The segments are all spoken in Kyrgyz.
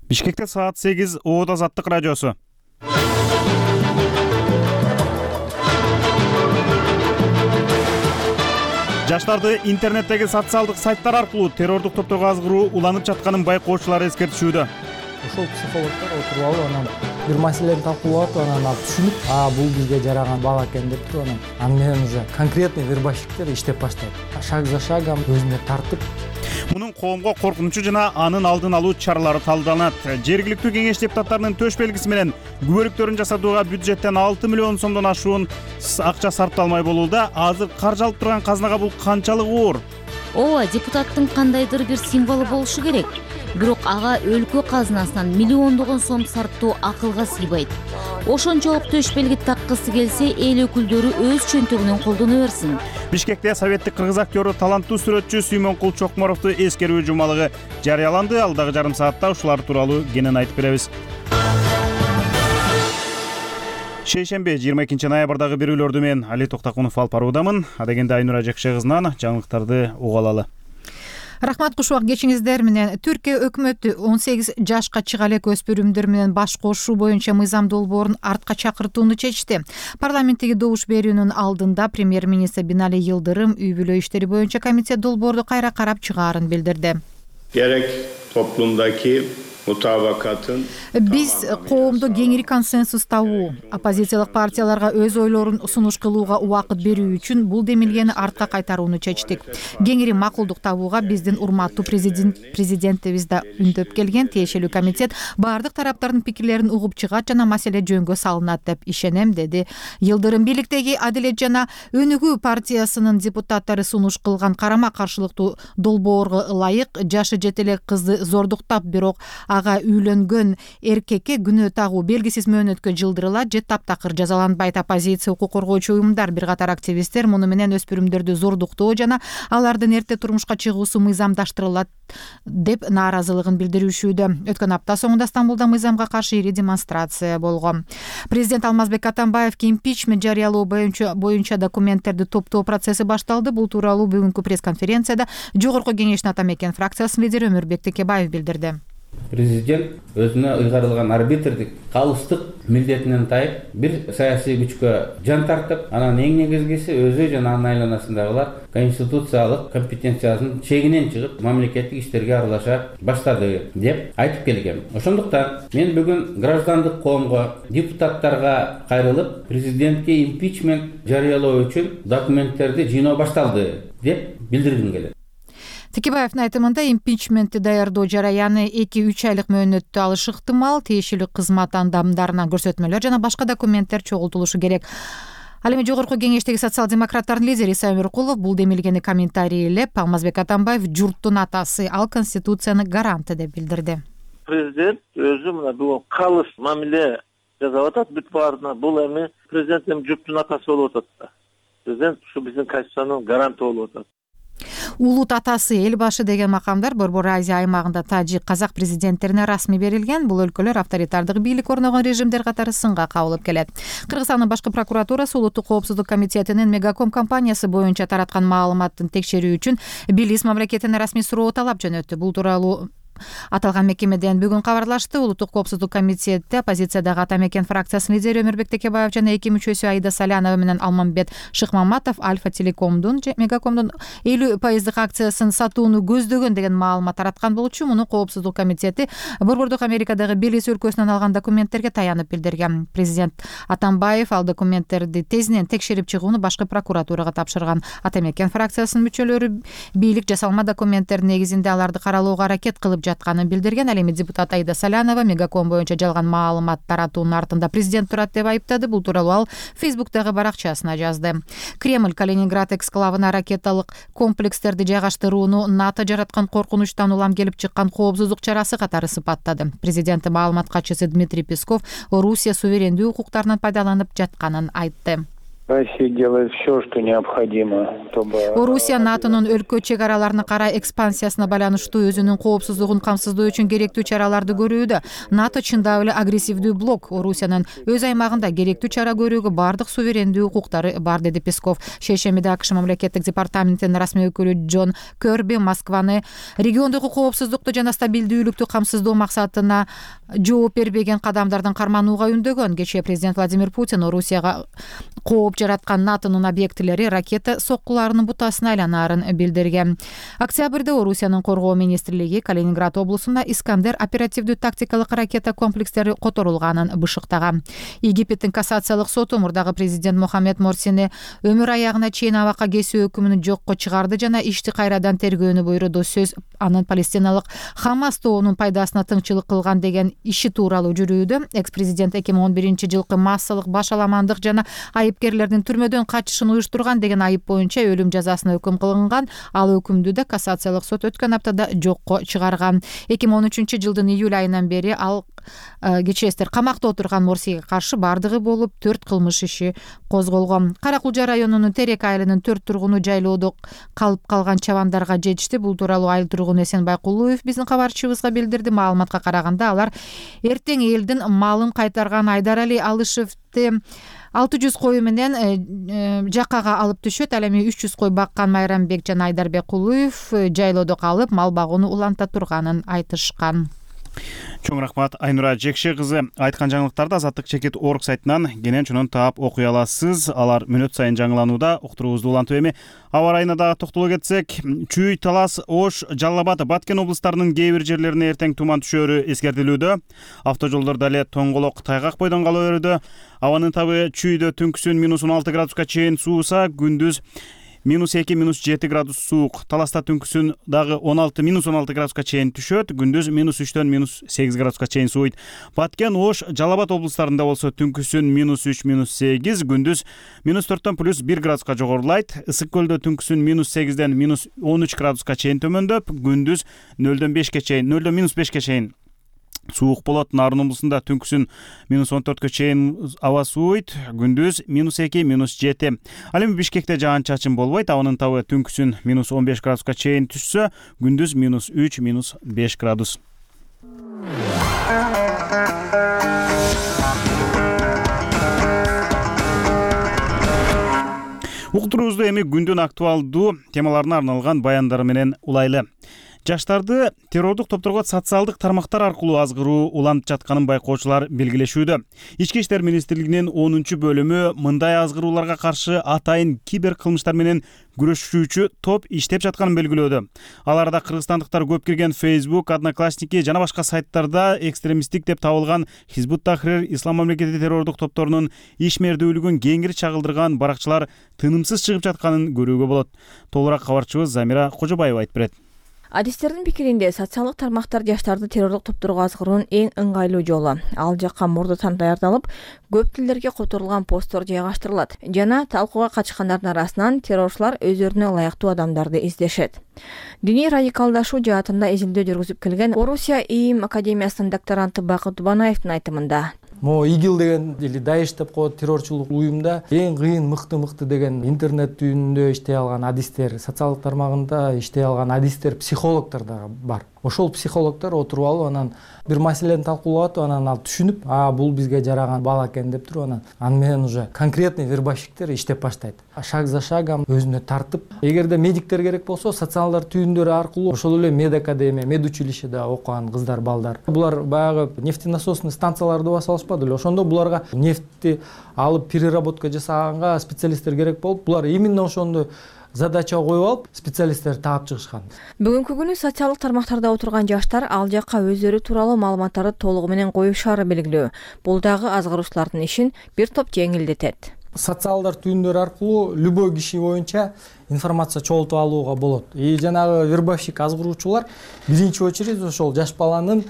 Бишкекте саат 8 Оот Азаттык радиосу. Жаштарды интернеттеги социалдык сайттар аркылуу террордук топторго азгыруу уланып жатканын байкоочулар эскертишүүдө. Ошол психологдор отуруп алып анан бир маселени талкуулап анан алып түшүнүп, бул бизге жараган бала экен деп туруп анан менен уже конкретный вербовщиктер иштеп баштайт. Шаг за шагом өзүнө тартып. Мунун коомго коркунучу жана анын алдын алуу чаралары талданат. Жергиликтүү кеңеш депутаттарынын төш белгиси менен күбөлүктөрүн жасатууга бюджеттен 6 миллион сомдон ашуун акча сарпталмай болууда. Азыр каржы алып турган казынага бул канчалык оор? Ооба, депутаттын кандайдыр бир символу болушу керек. Бирок ага өлкө казынасынан миллиондогон сом сарптоо акылга сыйбайт. Ошончолук төш белги таккысы келсе, эл өкүлдөрү өз чөнтөгүнөн колдоно берсин. Бишкекте советтик кыргыз актёру, таланттуу сүрөтчү Сүймөнкул Чокморовду эскерүү жумалыгы жарыяланды. Алдагы жарым саатта ушулар тууралуу кенен айтып беребиз. Шейшемби 22 ноябрдагы берүүлөрдү мен Али Токтакунов алып баруудамын. Адегенде Айнура Жекше кызынан жаңылыктарды уга алалы. Рахмат, кушубак кечиңиздер менен. Түркия өкмөтү 18 жашка чыга элек өспүрүмдөр менен баш кошуу боюнча мыйзам долбоорун артка чакыртууну чечти. Парламенттеги добуш берүүнүн алдында премьер-министр Бинали Йылдырым үй бүлө иштери боюнча комитет долбоорду кайра карап чыгаарын билдирди. Gerek toplumdaki mutabakatın Биз коомдо кеңири консенсус табуу, оппозициялык партияларга өз ойлорун сунуш кылууга убакыт берүү үчүн бул демилгени артка кайтарууну чечтик. Кеңири макулдук табууга биздин урматтуу президентибиз да үндөп келген. Тиешелүү комитет баардык тараптардын пикирлерин угуп чыгат жана маселе жөнгө салынат деп ишенем, деди Йылдырым. Бийликтеги Адилет жана Өнүгүү партиясынын депутаттары сунуш кылган карама каршылыктуу долбоорго ылайык жашы жете элек кызды зордуктап, бирок ага үйлөнгөн эркекке күнөө тагуу белгисиз мөөнөткө жылдырылат же таптакыр жазаланбайт. Оппозиция, укук коргоочу уюмдар, бир катар активисттер муну менен өспүрүмдөрдү зордуктоо жана алардын эрте турмушка чыгуусу мыйзамдаштырылат деп нааразылыгын билдиришүүдө. Өткөн апта соңунда Стамбулда мыйзамга каршы ири демонстрация болгон. Президент Алмазбек Атамбаевге импичмент жарыялоо боюнча документтерди топтоо процесси башталды. Бул тууралуу бүгүнкү пресс-конференцияда Жогорку кеңештин Атамекен фракциясынын лидери Өмүрбек Текебаев билдирди. Президент өзүнө ыйгарылган арбитрдик калыстык милдетинен тайып, бир саясий күчкө жан тартып, анан эң негизгиси өзү жана анын айланасындагылар конституциялык компетенциясынын чегинен чыгып, мамлекеттик иштерге аралаша баштады деп айтып келгем. Ошондуктан мен бүгүн граждандык коомго, депутаттарга кайрылып, президентке импичмент жарыялоо үчүн документтерди жыйноо башталды деп билдиргим келет. Текебаевдин айтымында импичментти даярдоо жараяны 2-3 айлык мөөнөттө алышы ыктымал. Тиешелүү кызмат адамдарынан көрсөтмөлөр жана башка документтер чогултулушу керек. Ал эми Жогорку кеңештеги социал-демократтардын лидери Иса Өмүркулов бул демилгени комментарийлеп, Алмазбек Атамбаев журттун атасы, ал конституциянын гаранты деп билдирди. Президент өзү мына бул калыс мамиле жасап атат бүт баарына. Бул эми президент журттун атасы болуп атат да. Президент ушу биздин конституциянын гаранты болуп атат. Улут атасы, эл башы деген макамдар Борбор Азия аймагында тажик, казак президенттерине расмий берилген. Бул өлкөлөр авторитардык бийлик орногон режимдер катары сынга кабылып келет. Кыргызстандын башкы прокуратурасы Улуттук коопсуздук комитетинин Мегаком компаниясы боюнча тараткан маалыматтын текшерүү үчүн Белиз мамлекетине расмий суроо талап жөнөттү. Бул тууралуу аталган мекемеден бүгүн кабарлашты. Улуттук коопсуздук комитетте оппозициядагы Атамекен фракциясынын лидери Өмүрбек Текебаев жана 2 мүчөсү Аида Салянова менен Алмамбет Шыкмаматов Альфа Телекомдун Мегакомдун 50% акциясын сатууну көздөгөн деген маалымат тараткан болчу. Муну коопсуздук комитети Борбордук Америкадагы Белиз өлкөсүнөн алган документтерге таянып билдирген. Президент Атамбаев ал документтерди тезинен текшерип чыгууну башкы прокуратурага тапшырган. Атамекен фракциясынын мүчөлөрү бийлик жасалма документтердин негизинде аларды каралууга аракет кылып жатканын билдирген. Ал эми депутат Аида Салянова Мегаком боюнча жалган маалымат таратуунун артында президент турат деп айыптады. Бул тууралуу ал Фейсбуктагы баракчасына жазды. Кремль Калининград эксклавына ракеталык комплекстерди жайгаштырууну НАТО жараткан коркунучтан улам келип чыккан коопсуздук чарасы катары сыпаттады. Президенттин маалымат катчысы Дмитрий Песков Орусия суверендүү укуктарынан пайдаланып жатканын айтты. Россия делает все, что необходимо, чтобы... Орусия НАТОнун өлкө чек араларына карай экспансиясына байланыштуу өзүнүн коопсуздугун камсыздоо үчүн керектүү чараларды көрүүдө. НАТО чындап эле агрессивдүү блок. Орусиянын өз аймагында керектүү чара көрүүгө бардык суверендүү укуктары бар, деди Песков. Шейшембиде АКШ мамлекеттик департаментинин расмий өкүлү Джон Керби Москваны региондогу коопсуздукту жана стабилдүүлүктү камсыздоо максатына жооп бербеген кадамдардын карманууга үндөгөн. Кечээ президент Владимир Путин Орусияга кооп жараткан НАТОнун объектилери ракета соккуларынын бутасына айланаарын билдирген. Октябрда Орусиянын коргоо министрлиги Калининград облусунда Искандер оперативдүү тактикалык ракета комплекстери которулганын бышыктаган. Египеттин кассациялык соту мурдагы президент Мохаммед Морсини өмүр аягына чейин абакка кесүү өкүмүн жокко чыгарды жана ишти кайрадан тергөөнү буйруду. Сөз анын палестиналык Хамас тобунун пайдасына тыңчылык кылган деген иши тууралуу жүрүүдө. Экс-президент 2011-жылкы массалык башаламандык жана айыпкерлердин түрмөдөн качышын уюштурган деген айып боюнча өлүм жазасына өкүм кылынган. Ал өкүмдү да кассациялык сот өткөн аптада жокко чыгарган. 2013-жылдын июль айынан бери ал кечээстер камакта отурган Морсиге каршы бардыгы болуп 4 кылмыш иши козголгон. Кара Кулжа районунун Терек айылынын 4 тургуну жайлоодо калып калган чабандарга жетишти. Бул тууралуу айыл тургуну Эсенбай Кулуев биздин кабарчыбызга билдирди. Маалыматка караганда алар эртең элдин малын кайтарган Айдарали Алышевди 600 кою менен жаккага алып түшөт. Ал эми 300 кой баккан Майрамбек жана Айдарбек Кулуев жайлоодо калып мал багууну уланта турганын айтышкан. Чоң рахмат Айнура Жекше кызы. Айткан жаңылыктарды Азаттык чекит орг сайтынан кенен чонун таап окуй аласыз. Алар мүнөт сайын жаңыланууда. Уктуруубузду улантып эми аба райына дагы токтоло кетсек, Чүй, Талас, Ош, Жалал Абад, Баткен облустарынын кээ бир жерлерине эртең туман түшөөрү эскертилүүдө. Автожолдордо эле тоңголок, тайгак бойдон кала берүүдө. Абанын табы Чүйдө түнкүсүн -16 градуска чейин сууса, күндүз -2, -7 градус суук. Таласта түнкүсүн дагы -16 градуска чейин түшөт, күндүз -3дөн -8 градуска чейин сууйт. Баткен, Ош, Жалал Абад облустарында болсо түнкүсүн -3, -8, күндүз -4дөн +1 градуска жогорулайт. Ысык көлдө түнкүсүн -8ден -13 градуска чейин төмөндөп, күндүз 0дөн -5ке чейин суук болот. Нарын облусунда түнкүсүн -14 чейин аба сууйт, күндүз -2, -7. Ал эми Бишкекте жаан-чачын болбойт. Абанын табы түнкүсүн -15 градуска чейин түшсө, күндүз -3, -5 градус. Уктуруубузду эми күндүн актуалдуу темаларына арналган баяндары менен улайлы. Жаштарды террордук топторго социалдык тармактар аркылуу азгыруу уланып жатканын байкоочулар белгилешүүдө. Ички иштер министрлигинин 10-бөлүмү мындай азгырууларга каршы атайын кибер кылмыштар менен күрөшүүчү топ иштеп жатканын белгилөөдө. Аларда кыргызстандыктар көп кирген Facebook, Одноклассники жана башка сайттарда экстремисттик деп табылган Хизбут Тахрир, Ислам мамлекети террордук топторунун ишмердүүлүгүн кеңири чагылдырган баракчылар тынымсыз чыгып жатканын көрүүгө болот. Толураак кабарчыбыз Замира Кожобаева айтып берет. Адистердин пикиринде социалдык тармактар жаштарды террордук топторго азгыруунун эң ыңгайлуу жолу. Ал жакка мурдатан даярдалып, көп тилдерге которулган посттор жайгаштырылат жана талкууга катышкандардын арасынан террорчулар өздөрүнө ылайыктуу адамдарды издешет. Диний радикалдашуу жаатында изилдөө жүргүзүп келген Орусия ИИМ академиясынын докторанты Бакыт Убанаевдин айтымында ИГИЛ деген или Даиш деп коет террорчулук уюмда эң кыйын мыкты деген интернет түйүнүндө иштей алган адистер, социалдык тармагында иштей алган адистер, психологдор да бар. Ошол психологдор отуруп алып, анан бир маселени талкуулап, анан ал түшүнүп, бул бизге жараган бала экен деп туруп, анан менен уже конкретный вербовщиктер иштеп баштайт. Шаг за шагом өзүнө тартып, эгерде медиктер керек болсо, социалдар түйүндөрү аркылуу ошол эле медакадемия, медучилищеде окуган кыздар, балдар. Булар баягы нефтенасосный станцияларды баса алышпады эле. Ошондо буларга нефтти алып переработка жасаганга специалисттер керек болуп, булар именно ошондо задача коюп алып, специалисттер таап чыгышкан. Бүгүнкү күнү социалдык тармактарда отурган жаштар ал жакка өздөрү тууралуу маалыматтарды толугу менен коюшаары белгилүү. Бул дагы азгыруучулардын ишин бир топ жеңилдетет. Социалдар түйүндөрү аркылуу любой киши боюнча информация чогултуп алууга болот. Жанагы вербовщик азгыруучулар биринчи очередь ошол жаш баланын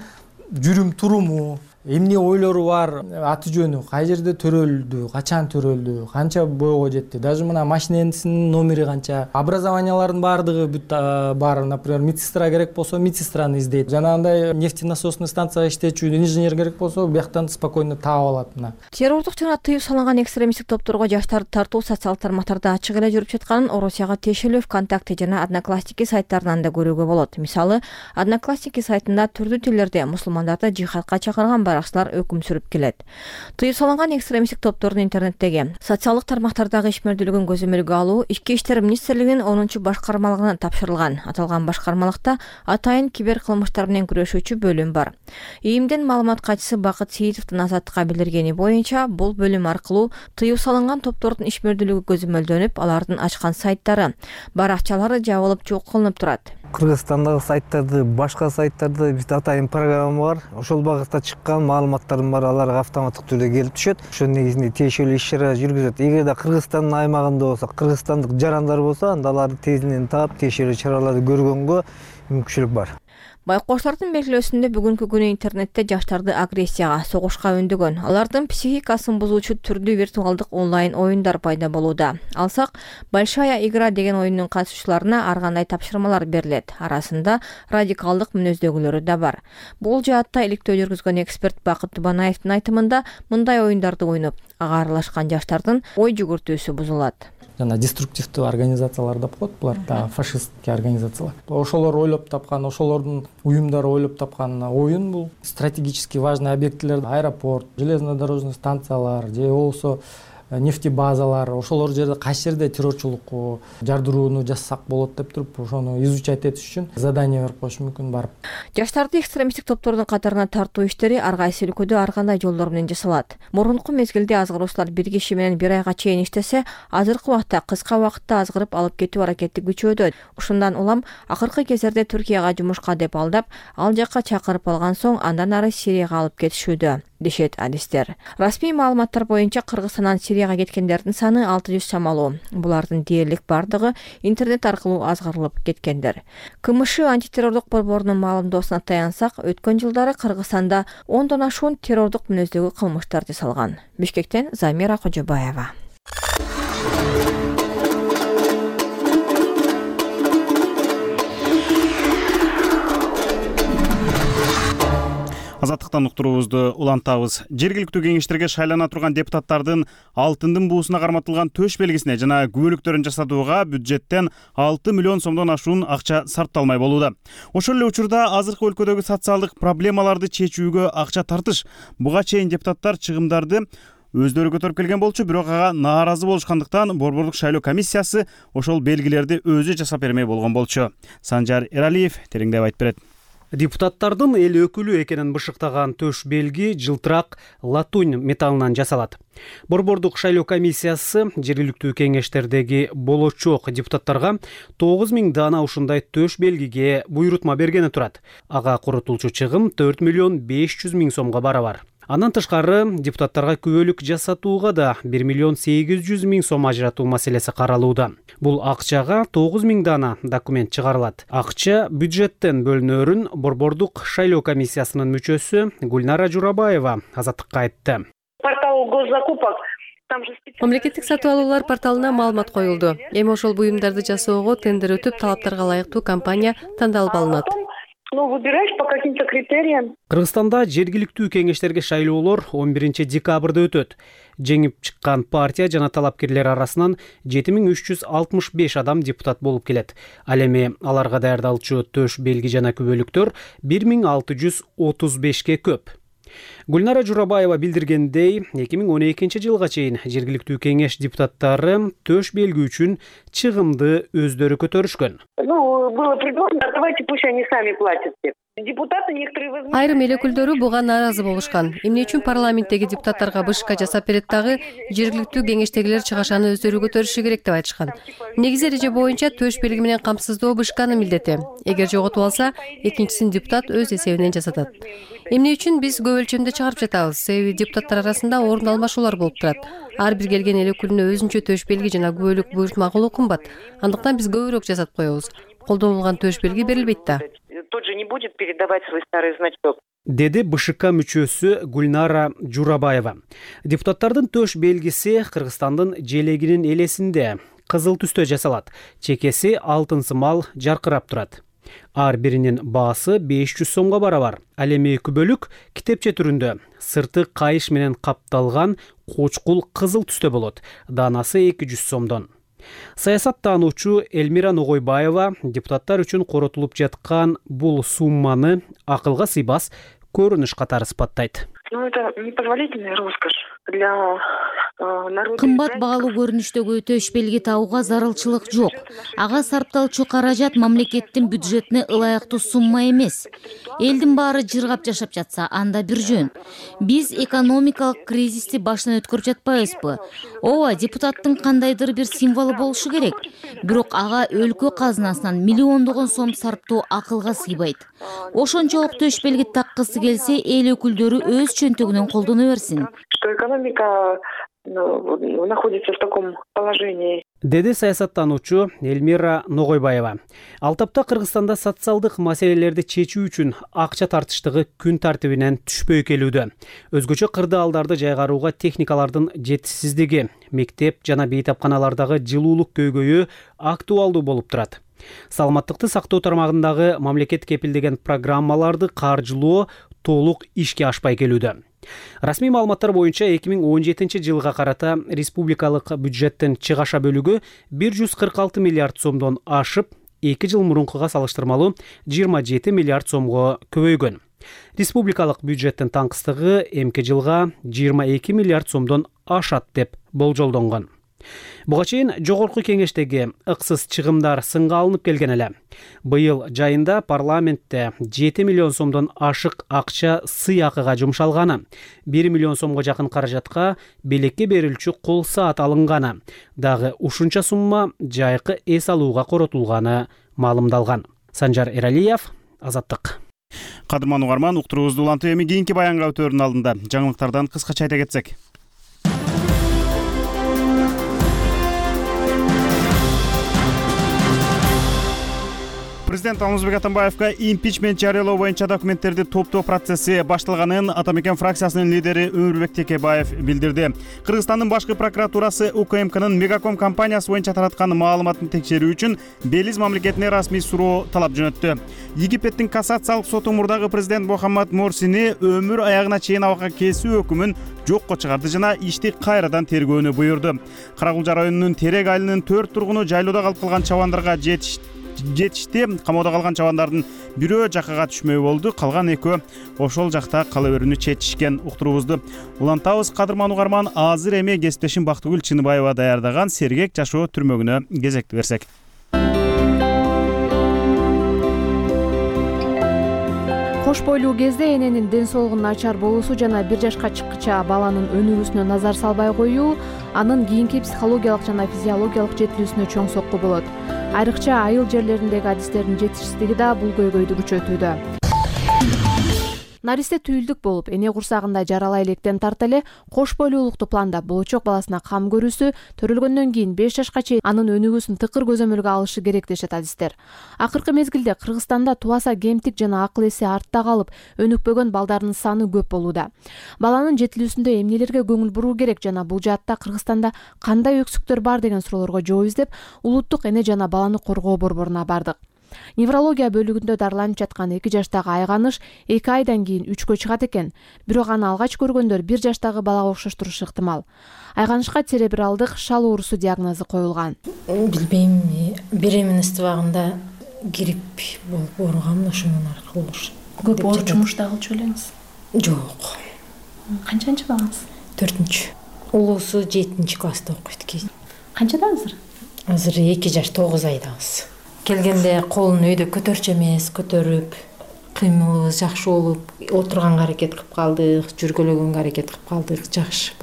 жүрүм туруму, эмне ойлору бар, аты жөнү, кай жерде төрөлдү, качан төрөлдү, канча бойго жетти, даже мына машиненин номери канча, образованиялардын баардыгы бүт бар. Например, медсестра керек болсо медсестраны издейт, жанагындай нефтенасосный станцияга иштечү инженер керек болсо бияктан спокойно таап алат. Мына террордук жана тыюу салынган экстремисттик топторго жаштарды тартуу социалдык тармактарда ачык эле жүрүп жатканын Орусияга тиешелүү ВКонтакте жана Одноклассники сайттарынан да көрүүгө болот. Мисалы, Одноклассники сайтында түрдүү тилдерде мусулмандарды жихадка чакырган баракчылар өкүм сүрүп келет. Тыюу салынган экстремисттик топтордун интернеттеги социалдык тармактардагы ишмердүүлүгүн көзөмөлгө алуу Ички иштер министрлигинин 10 башкармалыгына тапшырылган. Аталган башкармалыкта атайын кибер кылмыштар менен күрөшүүчү бөлүм бар. ИИМдин маалымат катчысы Бакыт Сейитовдун Азаттыкка билдиргени боюнча, бул бөлүм аркылуу тыюу салынган топтордун ишмердүүлүгү көзөмөлдөнүп, алардын ачкан сайттары, баракчалары жабылып жок кылынып турат. Кыргызстандагы сайттарды, башка сайттарды биз атайын программа бар. Ошол багытта чыккан маалыматтардын баары аларга автоматтык түрдө келип түшөт. Ошонун негизинде тиешелүү иш-чара жүргүзөт. Эгерде Кыргызстандын аймагында болсо, кыргызстандык жарандар болсо, анда аларды тезинен таап, тиешелүү чараларды көргөнгө мүмкүнчүлүк бар. Байкоштардын белгилөөсүндө бүгүнкү күнү интернетте жаштарды агрессияга, согушка өндөгөн, алардын психикасын бузуучу түрдүү виртуалдык онлайн оюндар пайда болууда. Алсак, Большая игра деген оюндун катышуучуларына ар кандай тапшырмалар берилет. Арасында радикалдык мүнөздөгүлөрү да бар. Бул жаатта иликтөө жүргүзгөн эксперт Бакыт Тубанаевдин айтымында, мындай оюндарды ойноп, ага аралашкан жаштардын ой жүгүртүүсү бузулат. Жана деструктивдүү организациялар деп коет, булар да фашисттик организациялар. Ошолор ойлоп тапкан, ошолордун уюмдары ойлоп тапкан оюн бул стратегически важный объектилер, аэропорт, железнодорожный станциялар, же болбосо нефтебазалар, ошолор жерде кайсы жерде террорчулук жардырууну жасасак болот деп туруп, ошону изучать этиш үчүн задание берип коюш мүмкүн барып. Жаштарды экстремисттик топтордун катарына тартуу иштери ар кайсы өлкөдө ар кандай жолдор менен жасалат. Мурунку мезгилде азгыруучулар бир киши менен бир айга чейин иштесе, азыркы убакта кыска убакытта азгырып алып кетүү аракети күчөдү. Ушундан улам акыркы кездерде Түркияга жумушка деп алдап, ал жакка чакырып алган соң андан ары Сирияга алып кетишүүдө, дешет адистер. Расмий маалыматтар боюнча Кыргызстандан Сирияга кеткендердин саны 600 чамалуу. Булардын дээрлик бардыгы интернет аркылуу азгырылып кеткендер. КМШ антитеррордук борборунун маалымдоосуна таянсак, өткөн жылдары Кыргызстанда 10дон ашуун террордук мүнөздөгү кылмыштар жасалган. Бишкектен Замира Кожобаева. Азаттыктан уктуруубузду улантабыз. Жергиликтүү кеңештерге шайлана турган депутаттардын алтындын буусуна карматылган төш белгисине жана күбөлүктөрүн жасатууга бюджеттен 6 миллион сомдон ашуун акча сарпталмай болууда. Ошол эле учурда азыркы өлкөдөгү социалдык проблемаларды чечүүгө акча тартыш. Буга чейин депутаттар чыгымдарды өздөрү көтөрүп келген болчу, бирок ага нааразы болушкандыктан борбордук шайлоо комиссиясы ошол белгилерди өзү жасап бермей болгон болчу. Санжар Эралиев тереңдеп айтып берет. Депутаттардын эл өкүлү экенин бышыктаган төш белги жылтырак латунь металлынан жасалат. Борбордук шайлоо комиссиясы жергиликтүү кеңештердеги болочок депутаттарга 9000 дана ушундай төш белгиге буйрутма бергени турат. Ага коротулчу чыгым 4 миллион 500 миң сомго барабар. Андан тышкары депутаттарга күбөлүк жасатууга да 1 миллион 800 миң сом ажыратуу маселеси каралууда. Бул акчага 9000 дана документ чыгарылат. Акча бюджеттен бөлүнөрүн борбордук шайлоо комиссиясынын мүчөсү Гульнара Журабаева Азаттыкка айтты. Портал госзакупок. Мамлекеттик сатып алуулар порталына маалымат коюлду. Эми ошол буюмдарды жасоого тендер өтүп, талаптарга ылайыктуу компания тандалып алынат. Выбираешь по каким-то критериям. Кыргызстанда жергиликтүү кеңештерге шайлоолор 11 декабрда өтөт. Жеңип чыккан партия жана талапкерлер арасынан 7365 адам депутат болуп келет. Ал эми аларга даярдалчу төш белги жана күбөлүктөр 1635ке көп. Гульнара Журабаева билдиргендей, 2012 жылга чейин жергиликтүү кеңеш депутаттары төш белги үчүн чыгымды өздөрү көтөрүшкөн. Было предложено, давайте пусть они сами платят. Депутаты некоторые возьмут. Айрым эл өкүлдөрү буга нааразы болушкан. Эмне үчүн парламенттеги депутаттарга бышка жасап берет дагы, жергиликтүү кеңештегилер чыгашаны өздөрү көтөрүшү керек деп айтышкан. Негизи эреже боюнча төш белги менен камсыздоо бышканын милдети. Эгер жоготуп алса, экинчисин депутат өз эсебинен жасатат. Эмне үчүн биз көп өлчөмдө чыгарып жатабыз? Себеби депутаттар арасында орун алмашуулар болуп турат. Ар бир келген эл өкүлүнө өзүнчө төш белги жана күбөлүк буйрутма кылуу кымбат. Андыктан биз көбүрөөк жасатып коебуз. Колдонулган төш белги берилбейт да. Тот же не будет передавать свой старый значок. деди БШК мүчөсү Гүлнара Журабаева. Депутаттардын төш белгиси Кыргызстандын желегинин элесинде кызыл түстө жасалат. Чекеси алтын сымал жаркырап турат. Ар биринин баасы 500 сомго барабар. Ал эми күбөлүк китепче түрүндө сырты кайыш менен капталган кочкул кызыл түстө болот. Данасы 200 сомдон. Саясаттануучу Элмира Ногойбаева депутаттар үчүн коротулуп жаткан бул сумманы акылга сыйбас көрүнүш катары сыпаттайт. Это непозволительная роскошь для народа. Кымбат баалуу көрүнүштөгү төш белги табууга зарылчылык жок. Ага сарпталчу каражат мамлекеттин бюджетине ылайыктуу сумма эмес. Элдин баары жыргап жашап жатса, анда бир жөн. Биз экономикалык кризисти башынан өткөрүп жатпайбызбы? Ооба, депутаттын кандайдыр бир символу болушу керек. Бирок ага өлкө казынасынан миллиондогон сом сарптоо акылга сыйбайт. Ошончолук төш белги таккысы келсе, эл өкүлдөрү өз чөнтөгүнөн колдоно берсин. Что экономика находится в таком положении. Деди саясаттануучу Элмира Ногойбаева. Ал тапта Кыргызстанда социалдык маселелерди чечүү үчүн акча тартыштыгы күн тартибинен түшпөй келүүдө. Өзгөчө кырдаалдарды жайгарууга техникалардын жетишсиздиги, мектеп жана бейтапканалардагы жылуулук көйгөйү актуалдуу болуп турат. Саламаттыкты сактоо тармагындагы мамлекет кепилдеген программаларды каржылоо толук ишке ашпай келүүдө. Расмий маалыматтар боюнча 2017 жылга карата республикалык бюджеттин чыгаша бөлүгү 146 миллиард сомдон ашып, 2 жыл мурункуга салыштырмалуу 27 миллиард сомго көбөйгөн. Республикалык бюджеттин таңкыстыгы эмки жылга 22 миллиард сомдон ашат деп болжолдонгон. Буга чейин жогорку кеңештеги ыксыз чыгымдар сынга алынып келген эле. Быйыл жайында парламентте 7 миллион сомдон ашык акча сый акыга жумшалганы, 1 миллион сомго жакын каражатка белекке берилчү кол саат алынганы, дагы ушунча сумма жайкы эс алууга коротулганы маалымдалган. Санжар Эралиев, Азаттык. Кадырман угарман, уктуруубузду улантып эми кийинки баянга өтөөрдүн алдында жаңылыктардан кыскача айта кетсек. Президент Алмазбек Атамбаевга импичмент жарыялоо боюнча документтерди топтоо процесси башталганын Атамекен фракциясынын лидери Өмүрбек Текебаев билдирди. Кыргызстандын башкы прокуратурасы УКМКнын Мегаком компаниясы боюнча тараткан маалыматын текшерүү үчүн Белиз мамлекетине расмий суроо талап жөнөттү. Египеттин кассациялык соту мурдагы президент Мухаммад Морсини өмүр аягына чейин абакка кесүү өкүмүн жокко чыгарды жана ишти кайрадан тергөөнү буйрду. Карагулжа районунун Терек айылынын 4 тургуну жайлоодо калып калган чабандарга жетишти. Камоодо калган чабандардын бирөө жакага түшмөй болду, калган экөө ошол жакта кала берүүнү чечишкен. Уктуруубузду улантабыз. Кадырман угарман, азыр эми кесиптешим Бактыгүл Чыныбаева даярдаган Сергек жашоо түрмөгүнө кезекти берсек. Кош бойлуу кезде эненин ден соолугунун начар болуусу жана 1 жашка чыккыча баланын өнүгүүсүнө назар салбай коюу анын кийинки психологиялык жана физиологиялык жетилүүсүнө чоң сокку болот. Айрыкча айыл жерлериндеги адистердин жетишсиздиги да бул көйгөйдү күчөтүүдө. Наристе түйүлдүк болуп, эне курсагында жаралай электен тарта эле кош бойлуулукту пландап, болочок баласына кам көрүүсү төрөлгөндөн кийин 5 жашка чейин анын өнүгүүсүн тыкыр көзөмөлгө алышы керек дешет адистер. Акыркы мезгилде Кыргызстанда тубаса кемтик жана акыл эси артта калып, өнүкпөгөн балдардын саны көп болууда. Баланын жетилүүсүндө эмнелерге көңүл буруу керек жана бул жаатта Кыргызстанда кандай өксүктөр бар деген суроолорго жооп издеп, улуттук эне жана баланы коргоо борборуна бардык. Неврология бөлүгүндө дарыланып жаткан 2 жаштагы Айганыш 2 айдан кийин 3кө чыгат экен. Бирок аны алгач көргөндөр 1 жаштагы балага окшоштурушу ыктымал. Айганышка церебралдык шал оорусу диагнозу коюлган. Билбейм, беременность убагында грипп болуп ооругам, ошонун аркылуу. Көп оор жумушта кылчу элеңиз? Жок. Канчанчы балаңыз? 4-чү. Улуусу 7-чи класста окуйт кийин. Канчада азыр? Азыр 2 жаш 9 айдабыз. Келгенде колун өйдө көтөрчү эмес, көтөрүп, кыймылыбыз жакшы болуп, отурганга аракет кылып калдык, жүргөлөгөнгө аракет кылып калдык, жакшы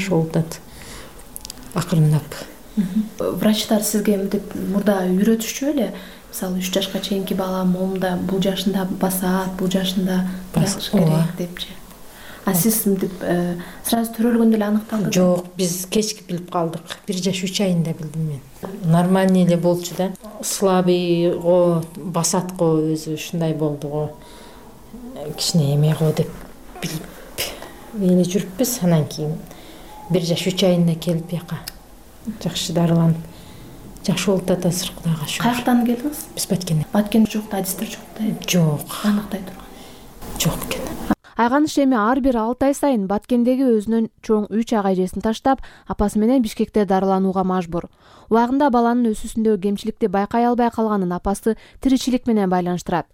болуп атат. Акырындап. Врачтар сизге мынтип мурда үйрөтүшчү эле, мисалы 3 жашка чейинки бала моомда бул жашында басат, бул жашында басыш керек депчи. А сиз мынтип сразу төрөлгөндө эле аныкталды? Жок, биз кечки билип калдык. 1 жаш 3 айында билдим мен. Нормальный эле болчу да. Слабый го, басат го өзү ушундай болду го. кичине эме го деп билип эле жүрүппүз. Анан кийин 1 жаш 3 айында келип бияка жакшы дарыланып жакшы болуп атасыз, Кудайга шүгүр. Каяктан келдиңиз? Биз Баткенден. Баткен жок да, адистер жок да. Жок. Аныктай турган. Жок экен. Айганыш эми ар бир 6 ай сайын Баткендеги өзүнөн чоң 3 ага эжесин таштап, апасы менен Бишкекте дарыланууга мажбур. Убагында баланын өсүүсүндөгү кемчиликти байкай албай калганын апасы тиричилик менен байланыштырат.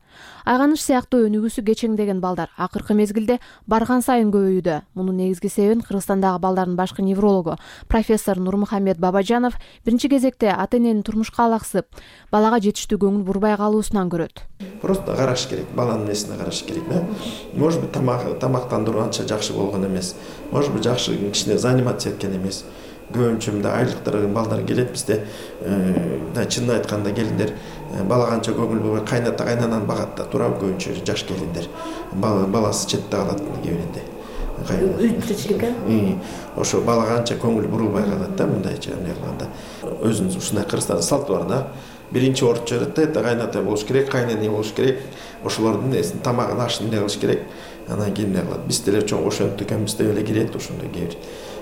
Айганыш сыяктуу өнүгүүсү кечеңдеген балдар акыркы мезгилде барган сайын көбөйүүдө. Мунун негизги себебин Кыргызстандагы балдардын башкы неврологу профессор Нурмухамед Бабажанов биринчи кезекте ата-эненин турмушка алаксып, балага жетиштүү көңүл бурбай калуусунан көрөт. Просто караш керек, баланын несине караш керек да. Может быть, тамактандыруу анча жакшы болгон эмес. Может быть, жакшы кичине заниматься эткен эмес. Көбүнчө мындай айлыктар балдар келет бизде. Чынын айтканда келиндер балага анча көңүл бурбай кайната кайнананы багат да, туура көбүнчө жаш келиндер. Баласы четте калат кебиринде. Ошо балага анча көңүл бурулбай калат да, мындайча эмне кылганда. Өзүнүн ушундай Кыргызстанда салты бар да. Биринчи ордучу берет да, это кайната болуш керек, кайнене болуш керек. Ошолордун несин тамагын ашын эмне кылыш керек. Анан кийин эмне кылат? Биз деле чоң ошентип экенбиз деп эле кирет ошондой кээ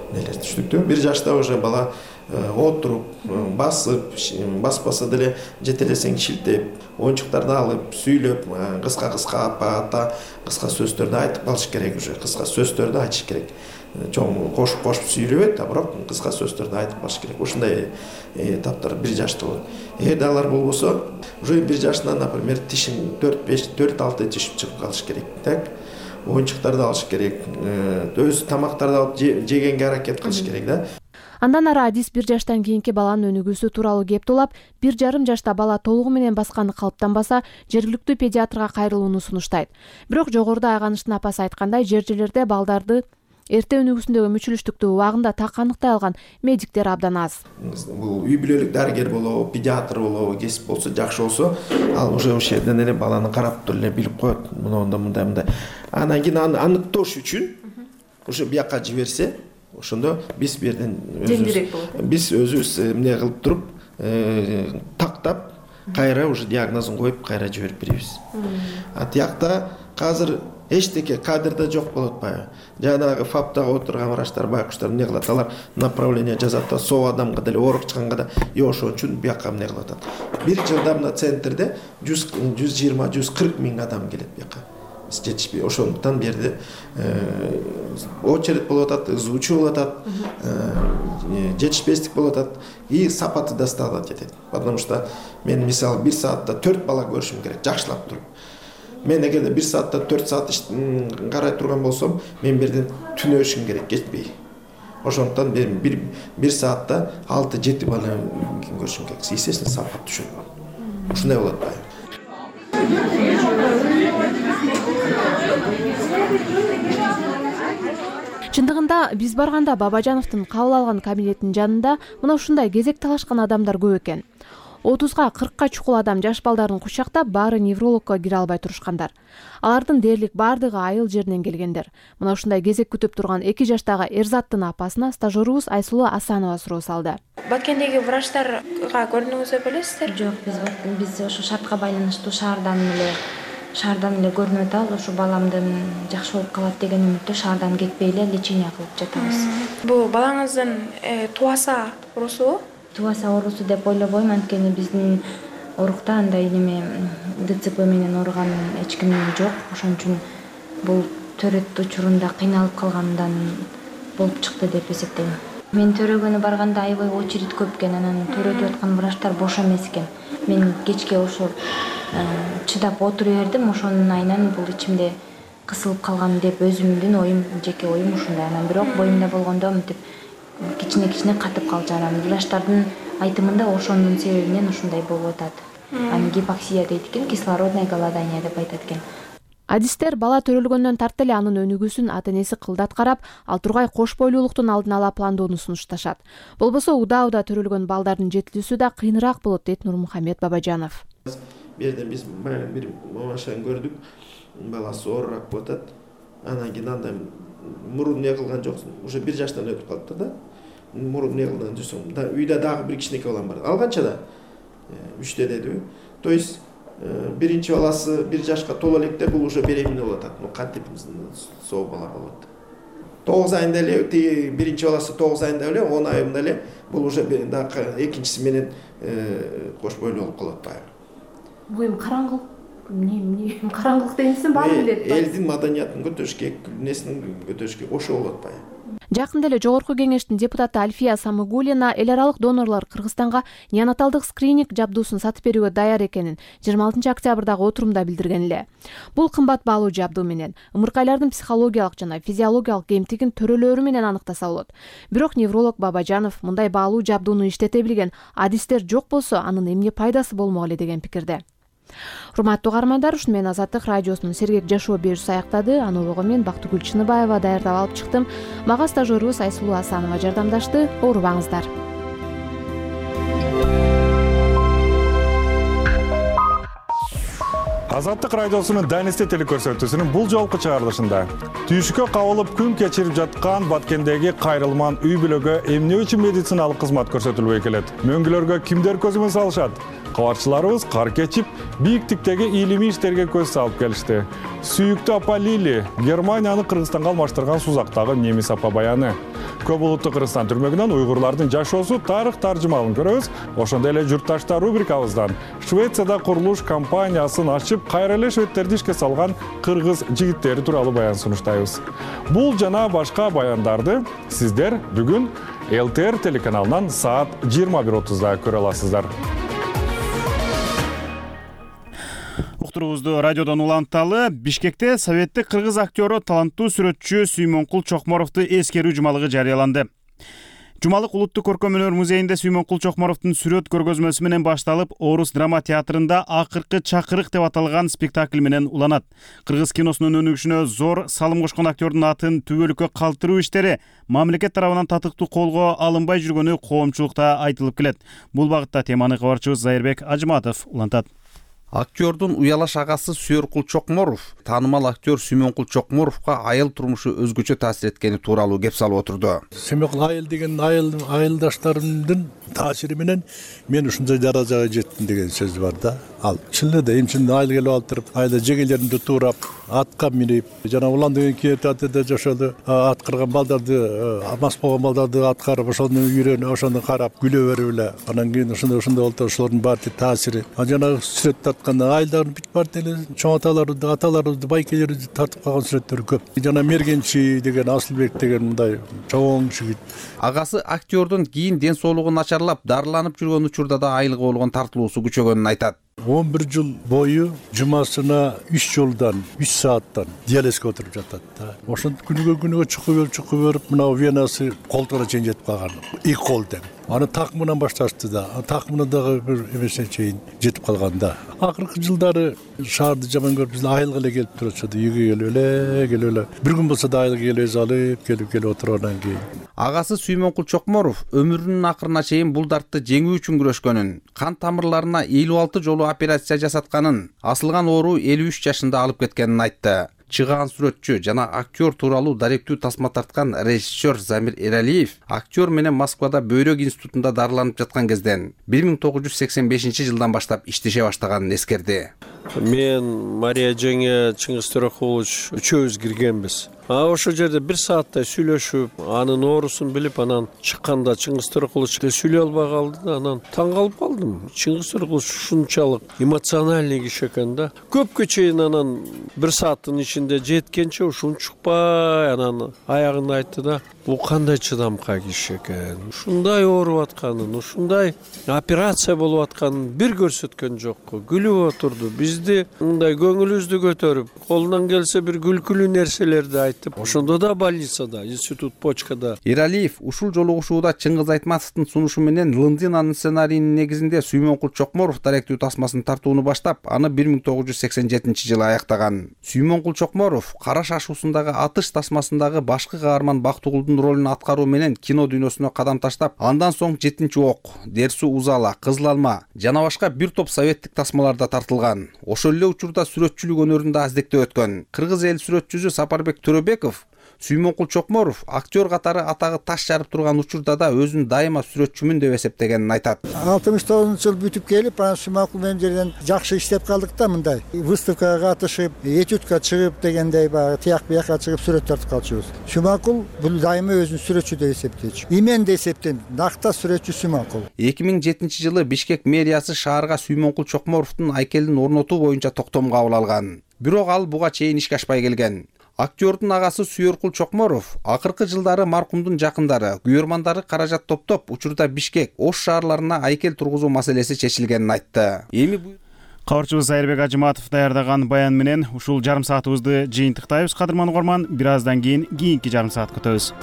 нелер түшүнүктүү. 1 жашта уже бала отуруп, басып, баспаса деле жетелесең шилтеп, оюнчуктарды алып, сүйлөп, кыска-кыска апа, ата, кыска сөздөрдү айтып калыш керек уже. Кыска сөздөрдү айтыш керек. Чоң кошуп сүйлөбөйт, а бирок кыска сөздөрдү айтып калыш керек. Ушундай этаптар 1 жашта болот. Эгерде алар болбосо, уже 1 жашынан, например, тишин 4-6 тишип чыгып калыш керек. Так? Оюнчуктарды алыш керек. Өз тамактарды алып жегенге аракет кылыш керек да. Андан ары адис 1 жаштан кийинки баланын өнүгүүсү тууралуу кеп тулап, 1,5 жашта бала толугу менен басканы калыптанбаса, жергиликтүү педиатрга кайрылууну сунуштайт. Бирок жогоруда Айганыштын апасы айткандай, жер-жерлерде балдарды эрте өнүгүүсүндөгү мүчүлүштүктү убагында так аныктай алган медиктер абдан аз. Бул үй бүлөлүк дарыгер болобу, педиатр болобу, кесип болсо жакшы болсо, ал уже ошол жерден эле баланы карап туруп эле билип коет. Мындай. Анан кийин аны аныктоош үчүн уже бияка жиберсе, ошондо биз бу жерден биз өзүбүз эмне кылып туруп, тактап, кайра уже диагнозун коюп, кайра жиберип беребиз. А тиякта азыр эчтеке кадрда жок болуп атпайбы? Жанагы ФАПтагы отурган врачтар, байкуштар эмне кылат? Алар направление жазат да, соо адамга деле оорук чыкканга да, ошон үчүн бияка эмне кылып атат. 1 жылда мына центрде 120-140 миң адам келет бияка. Жетишпей, ошондуктан бу жерде очередь болуп атат, ызуучу болуп атат, жетишпестик болуп атат и сапаты да стала жетет. Потому что мен мисалы 1 саатта 4 бала көрүшүм керек, жакшылап туруп. Мен эгерде 1 саатта 4 саат карай турган болсом, мен бу жерден түнөшүм керек, кетпей. Ошондуктан мен 1 саатта 6-7 бала көрүшүм керек. Естественно, сапат түшөт. Ушундай болот атпайбы? Чындыгында биз барганда Бабажановдун кабыл алган кабинетинин жанында мына ушундай кезек талашкан адамдар көп экен. 30га 40ка чукул адам жаш балдарын кучактап, баары неврологко кире албай турушкандар. Алардын дээрлик баардыгы айыл жеринен келгендер. Мына ушундай кезек күтүп турган 2 жаштагы Эрзаттын апасына стажерубуз Айсулуу Асанова суроо салды. Баткендеги врачтарга көрдүңүзбү белесиздер? Жок, биз ошо шартка байланыштуу шаардан эле көрүнүп атабыз. Ошо баламдын жакшы болуп калат деген үмүттө шаардан кетпей эле лечение кылып жатабыз. Бул балаңыздын тубаса оорусубу? Тубаса оорусу деп ойлобойм, анткени биздин орукта андай неме ДЦП менен ооруган эч ким жок. Ошон үчүн бул төрөт учурунда кыйналып калгандан болуп чыкты деп эсептейм. Мен төрөгөнү барганда аябай очередь көп экен, анан төрөтүп аткан врачтар бош эмес экен. Мен кечке ошо чыдап отура бердим, ошонун айынан бул ичимде кысылып калган деп өзүмдүн оюм, жеке оюм ушундай. Анан бирок боюмда болгондо мынтип кичине катып калчу. Анан врачтардын айтымында ошондун себебинен ушундай болуп атат. Аны гипоксия дейт экен, кислородное голодание деп айтат экен. Адистер бала төрөлгөндөн тарта эле анын өнүгүүсүн ата-энеси кылдат карап, ал тургай кош бойлуулуктун алдын ала пландоону сунушташат. Болбосо удаа төрөлгөн балдардын жетилүүсү да кыйыныраак болот, дейт Нурмухамед Бабажанов. Бу жерде биз бир мамашаны көрдүк, баласы оорураак болуп атат. Анан кийин андай мурун не кылган жоксуң, уже 1 жаштан өтүп калыптыр да. Мурун не кылган жоксуң, үйдө дагы бир кичинекей балам бар. Алганча да 3 дедиби. То есть биринчи баласы 1 жашка толо электе бул уже беременный болуп атат. Кантип соо бала болот. 9 айында эле тиги биринчи баласы 9 айында эле 10 айында эле бул уже экинчиси менен кош бойлуу болуп калат баягы. Бул эми караңгылык караңгылык деймисиң баары билет. Элдин маданиятын көтөрүшкө, несин көтөрүшкө ошо болот баягы. Жакында эле Жогорку кеңештин депутаты Альфия Самыгулина эл аралык донорлор Кыргызстанга неонаталдык скрининг жабдуусун сатып берүүгө даяр экенин 26 октябрдагы отурумда билдирген эле. Бул кымбат баалуу жабдуу менен ымыркайлардын психологиялык жана физиологиялык кемтигин төрөлөрү менен аныктаса болот. Бирок невролог Бабажанов мындай баалуу жабдууну иштете билген адистер жок болсо анын эмне пайдасы болмок эле деген пикирде. Урматтуу угармандар, ушуну менен Азаттык радиосунун сергек жашоо берүүсү аяктады. Аны улугу мен Бактыгүл Чыныбаева даярдап алып чыктым. Мага стажерубуз Айсулуу Асанова жардамдашты. Оорубаңыздар. Азаттык радиосунун Данисте телекөрсөтүүсүнүн бул жолку чыгарылышында түйшүккө кабылып күн кечирип жаткан Баткендеги кайрылман үй бүлөгө эмне үчүн медициналык кызмат көрсөтүлбөй келет? Мөңгүлөргө кимдер көзөмөл салышат? Кабарчыларыбыз кар кечип, бийиктиктеги илимий иштерге көз салып келишти. Сүйүктүү апа Лили Германияны Кыргызстанга алмаштырган сузактагы немис апа баяны. Көп улуттуу Кыргызстан түрмөгүнөн уйгурлардын жашоосу тарых таржымалын көрөбүз. Ошондой эле журтташтар рубрикабыздан Швецияда курулуш компаниясын ачып, кайра эле шведтерди ишке салган кыргыз жигиттери тууралуу баян сунуштайбыз. Бул жана башка баяндарды сиздер бүгүн ЛТР телеканалынан саат 21:30да көрө аласыздар. Уктуруубузду радиодон уланталы. Бишкекте советтик кыргыз актёру таланттуу сүрөтчү Сүймөнкул Чокморовду эскерүү жумалыгы жарыяланды. Жумалык Улуттук көркөм өнөр музейинде Сүймөнкул Чокморовдун сүрөт көргөзмөсү менен башталып, Орус драма театрында акыркы чакырык деп аталган спектакль менен уланат. Кыргыз киносунун өнүгүшүнө зор салым кошкон актёрдун атын түбөлүккө калтыруу иштери мамлекет тарабынан татыктуу колго алынбай жүргөнү коомчулукта айтылып келет. Бул багытта теманы кабарчыбыз Зайырбек Ажыматов улантат. Актёрдун уялаш агасы Сүйөркул Чокморов таанымал актер Сүймөнкул Чокморовго айыл турмушу өзгөчө таасир эткени тууралуу кеп салып отурду. Сүймөнкул айыл деген айылдаштарымдын таасири менен мен ушундай даражага жеттим деген сөз бар да. Ал чын эле эмчинден айыл келип алып туруп, айылда жегелеримди туурап, атка минип, жана улан деген театрда жашады. Ат кырган балдарды, мас болгон балдарды аткарып, ошону үйрөнүп, ошону карап, күлө берип эле. Анан кийин ошондой болду, ошолордун баары таасири. Жана сүрөт айылдардын бүт бар деле чоң аталарыбызды, байкелерибизди тартып калган сүрөттөр көп. Жана Мергенчи деген Асылбек деген мындай чоң жигит. Агасы актёрдун кийин ден соолугу начарлап, дарыланып жүргөн учурда да айылга болгон тартылуусу күчөгөнүн айтат. 11 жыл бою жумасына 3 жолдан 3 сааттан диализге отуруп жатат да. Ошентип күнүгө чукуп берип, мына венасы колтуна чейин жетип калган. 2 кол тең. Аны такмынан башташты да. Такмына дагы бир эмесе чейин жетип калган да. Акыркы жылдары шаарды жаман көрүп, биз айылга эле келип турчуду. Үйгө келип эле. Бир күн болсо да айылга келип келип отургандан кийин. Агасы Сүймөнкул Чокморов өмүрүнүн акырына чейин бул дартты жеңүү үчүн күрөшкөнүн, кан тамырларына 56 жолу операция жасатканын, асылган оору 53 жашында алып кеткенин айтты. Чыгаан сүрөтчү жана актер тууралуу даректүү тасма тарткан режиссер Замир Эралиев актер менен Москвада Бөйрөк институтунда дарыланып жаткан кезден 1985-жылдан баштап иштеше баштаганын эскерди. Мен Мария жеңе, Чыңгыз Төрөкулович үчөөбүз киргенбиз. Ошол жерде 1 сааттай сүйлөшүп, анын оорусун билип, анан чыкканда Чыңгыз Төрөкулович сүйлөй албай калды да, анан таң калып калдым. Чыңгыз Төрөкулович ушунчалык эмоциональный киши экен да. Көпкө чейин анан 1 сааттын ичинде жеткенче ушунчукпай анан аягында айтты да, бул кандай чыдамкай киши экен. Ушундай ооруп атканын, ушундай операция болуп атканын бир көрсөткөн жок. Күлүп отурду. Бизди мындай көңүлүбүздү көтөрүп, колунан келсе бир күлкүлүү нерселерди айтты. Ошондо да больницада, институт почкада. Эралиев ушул жолугушууда Чыңгыз Айтматовдун сунушу менен Лындинанын сценарийинин негизинде Сүймөнкул Чокморов даректүү тасмасын тартууну баштап, аны 1987-жылы аяктаган. Сүймөнкул Чокморов Кара шашуусундагы атыш тасмасындагы башкы каарман Бактыгулдун ролун аткаруу менен кино дүйнөсүнө кадам таштап, андан соң 7-ок, Дерсу Узала, Кызыл алма жана башка бир топ советтик тасмаларда тартылган. Ошол эле учурда сүрөтчүлүк өнөрүндө аздектеп өткөн. Кыргыз эл сүрөтчүсү Сапарбек Төрөбеков Сүймөнкул Чокморов актер катары атагы таш жарып турган учурда да өзүн дайыма сүрөтчүмүн деп эсептегенин айтат. 69-жыл бүтүп келип, анан Сүймөнкул менен жерден жакшы иштеп калдык да, мындай выставкага катышып, этюдка чыгып дегендей баягы тияк бияка чыгып сүрөт тартып калчубуз. Сүймөнкул бул дайыма өзүн сүрөтчү деп эсептейт. Имен деп эсептейм, накта сүрөтчү Сүймөнкул. 2007-жылы Бишкек мэриясы шаарга Сүймөнкул Чокморовдун айкелин орнотуу боюнча токтом кабыл алган. Бирок ал буга чейин ишке ашпай келген. Актёрдун агасы Сүйөркул Чокморов акыркы жылдары маркумдун жакындары, күйөрмандары каражат топтоп, учурда Бишкек, Ош шаарларына айкел тургузуу маселеси чечилгенин айтты. Кабарчыбыз Айырбек Ажыматов даярдаган баян менен ушул жарым саатыбызды жыйынтыктайбыз. Кадырман угарман, бир аздан кийинки жарым саат күтөбүз.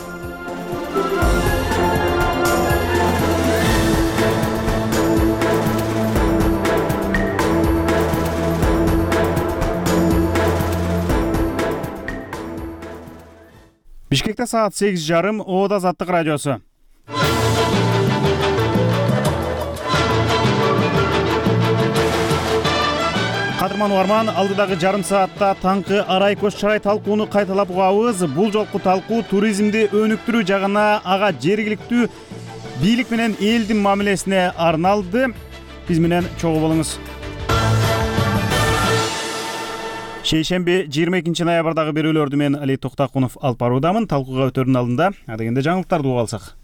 Бишкекте саат 8:30, Оода Азаттык радиосу. Кадырман угарман, алдыдагы жарым саатта таңкы арай көз чарай талкууну кайталап угабыз. Бул жолку талкуу туризмди өнүктүрүү жагына, ага жергиликтүү бийлик менен элдин мамилесине арналды. Биз менен чогуу болуңуз. Шейшемби 22 ноябрдагы берүүлөрдү мен Али Токтакунов алып баруудамын. Талкууга өтөрдүн алдында адегенде жаңылыктарды угуп алсак.